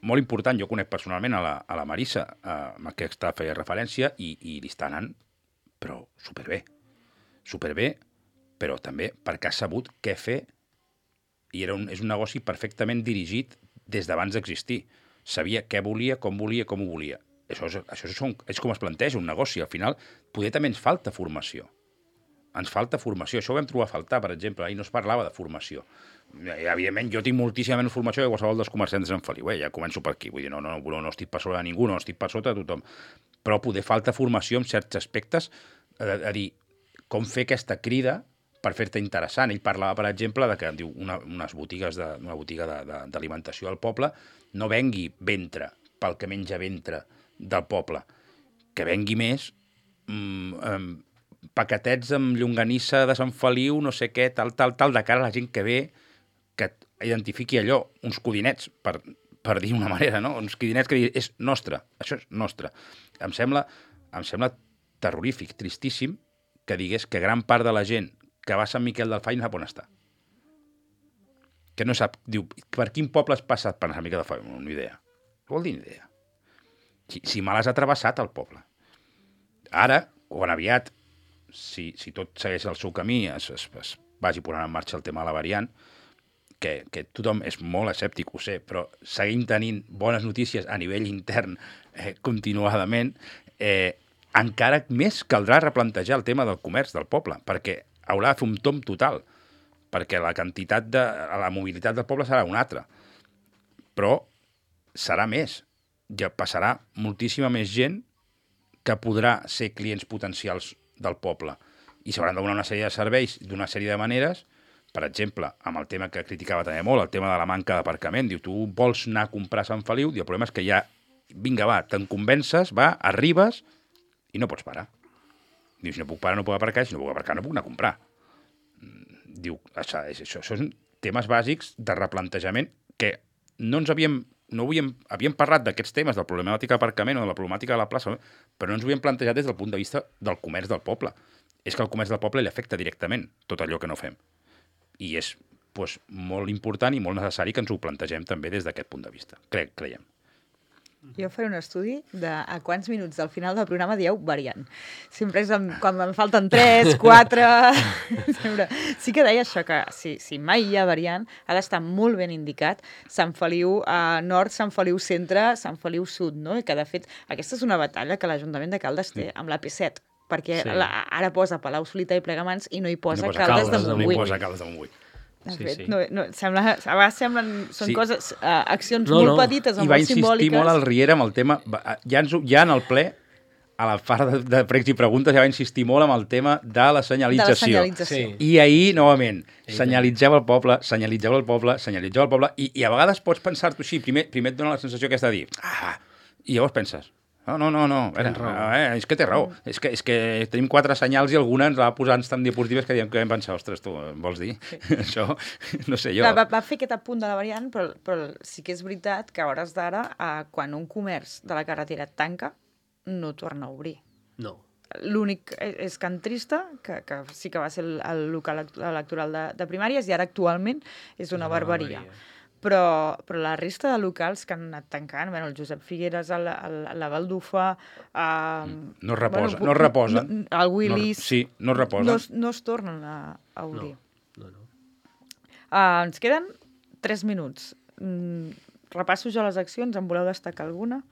molt important, jo conec personalment a la, a la Marissa, eh, amb què està feia referència, i, i li està anant, però superbé. Superbé, però també perquè ha sabut què fer, i era un, és un negoci perfectament dirigit des d'abans d'existir. Sabia què volia, com volia, com ho volia. Això, és, això és, és com es planteja un negoci. Al final, poder també ens falta formació. Ens falta formació. Això ho vam trobar a faltar, per exemple. Ahir no es parlava de formació. I, evidentment, jo tinc moltíssima menys formació que qualsevol dels comerciants de Sant Feliu. Eh? Ja començo per aquí. Vull dir, no, no, no, no estic per sobre de ningú, no estic per sota de tothom. Però poder falta formació en certs aspectes, a, a dir, com fer aquesta crida per fer-te interessant. Ell parlava, per exemple, de que diu una, unes botigues de, una botiga d'alimentació al poble no vengui ventre pel que menja ventre del poble, que vengui més mm, um, paquetets amb llonganissa de Sant Feliu, no sé què, tal, tal, tal, de cara a la gent que ve, que identifiqui allò, uns codinets, per, per dir una manera, no? Uns codinets que digui, és nostre, això és nostre. Em sembla, em sembla terrorífic, tristíssim, que digués que gran part de la gent que va a Sant Miquel del Fai no sap on està. Que no sap, diu, per quin poble has passat per Sant Miquel del Fai? No, no idea. Vol dir ni idea. Si, si me l'has atrevessat al poble. Ara, quan aviat, si, si tot segueix el seu camí, es, es, es vagi posant en marxa el tema de la variant, que, que tothom és molt escèptic, ho sé, però seguim tenint bones notícies a nivell intern eh, continuadament, eh, encara més caldrà replantejar el tema del comerç del poble, perquè haurà de fer un tom total, perquè la quantitat de... la mobilitat del poble serà una altra. Però serà més. Ja passarà moltíssima més gent que podrà ser clients potencials del poble. I s'hauran de donar una sèrie de serveis d'una sèrie de maneres. Per exemple, amb el tema que criticava també molt, el tema de la manca d'aparcament. Diu, tu vols anar a comprar a Sant Feliu? Diu, el problema és que ja, vinga, va, te'n convences, va, arribes i no pots parar. Diu, si no puc parar, no puc aparcar, si no puc aparcar, no puc anar a comprar. Diu, això, això, això són temes bàsics de replantejament que no ens havíem, no havíem, havíem parlat d'aquests temes, de la problemàtica d'aparcament o de la problemàtica de la plaça, però no ens ho havíem plantejat des del punt de vista del comerç del poble. És que el comerç del poble li afecta directament tot allò que no fem. I és doncs, molt important i molt necessari que ens ho plantegem també des d'aquest punt de vista, Cre creiem. Jo faré un estudi de a quants minuts del final del programa dieu variant. Sempre és amb, quan em falten tres, quatre... Sempre. Sí que deia això, que si, si mai hi ha variant, ha d'estar molt ben indicat Sant Feliu eh, Nord, Sant Feliu Centre, Sant Feliu Sud, no? I que, de fet, aquesta és una batalla que l'Ajuntament de Caldes té amb la P set, perquè sí. la, ara posa Palau Solità i Plegamans i no hi posa, no posa Caldes, Caldes de Montbui. No hi posa Caldes de Montbui. De sí, fet, sí. no, no, sembla, a vegades semblen, són sí. coses, uh, accions no, molt no. petites o I va molt simbòliques. insistir molt al Riera amb el tema, ja, ens, ja en el ple, a la part de, de pregs i preguntes, ja va insistir molt amb el tema de la senyalització. De la senyalització. Sí. I ahir, novament, senyalitzeu el poble, senyalitzeu el poble, senyalitzeu el poble, i, i a vegades pots pensar-t'ho així, primer, primer et dona la sensació aquesta de dir, ah, i llavors penses, no, no, no, no, veure, eh, és que té raó. És que, és que tenim quatre senyals i alguna ens va posar tan diapositives que diem que vam pensar, ostres, tu, vols dir? Sí. Això, no sé jo. Clar, va, va fer aquest apunt de la variant, però, però sí que és veritat que a hores d'ara, eh, quan un comerç de la carretera tanca, no torna a obrir. No. L'únic és Can Trista, que, que sí que va ser el, el local electoral de, de primàries, i ara actualment és una, una barbaria. barbaria. Però, però la resta de locals que han anat tancant, bueno, el Josep Figueres, el, el, la Baldufa... Eh, no es reposa, bueno, no es reposen. No, el Willis... No, sí, no es reposen. No, no es tornen a, a obrir. No, no, no. Uh, ens queden tres minuts. Mm, repasso jo les accions, en voleu destacar alguna?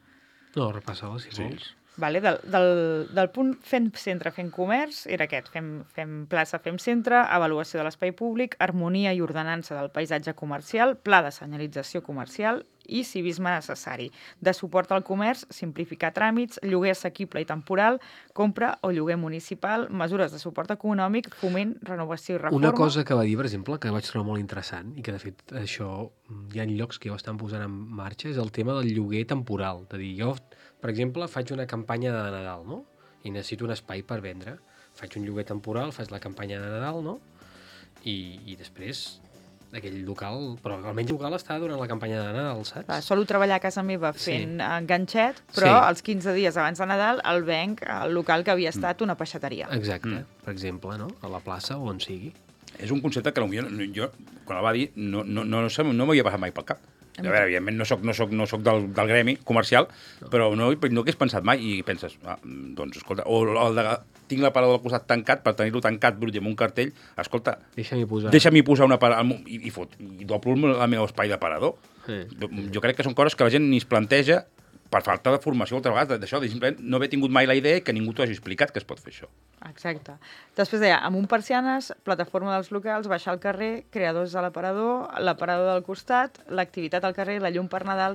No, repassa-la, si sí. vols. Vale, del, del, del punt fem centre, fem comerç, era aquest, fem, fem plaça, fem centre, avaluació de l'espai públic, harmonia i ordenança del paisatge comercial, pla de senyalització comercial i civisme necessari. De suport al comerç, simplificar tràmits, lloguer assequible i temporal, compra o lloguer municipal, mesures de suport econòmic, foment, renovació i reforma... Una cosa que va dir, per exemple, que vaig trobar molt interessant i que, de fet, això hi ha llocs que ja ho estan posant en marxa, és el tema del lloguer temporal. De dir, jo, per exemple, faig una campanya de Nadal, no? I necessito un espai per vendre. Faig un lloguer temporal, faig la campanya de Nadal, no? I, i després aquell local, però almenys el local està durant la campanya de Nadal, saps? Va, solo treballar a casa meva fent Sí. enganxet, però Sí. els quinze dies abans de Nadal el venc al local que havia estat una peixateria. Exacte, Mm. per exemple, no? A la plaça o on sigui. És un concepte que potser jo, quan el va dir, no, no, no, no, no m'havia passat mai pel cap. A veure, evidentment, no soc, no soc, no soc del, del gremi comercial, no. però no, no hagués pensat mai i penses, ah, doncs, escolta, o el de, tinc l'aparador del costat tancat, per tenir-lo tancat, brut i amb un cartell, escolta, Deixa'm-hi posar. deixa'm-hi posar una parada i, i, fot, i doblo el meu espai d'aparador. Sí. Jo crec que són coses que la gent ni es planteja per falta de formació altra vegada d'això, de simplement no haver tingut mai la idea que ningú t'ho hagi explicat que es pot fer això. Exacte. Després deia, amb un persianes, plataforma dels locals, baixar al carrer, creadors a l'aparador, l'aparador del costat, l'activitat al carrer, la llum per Nadal,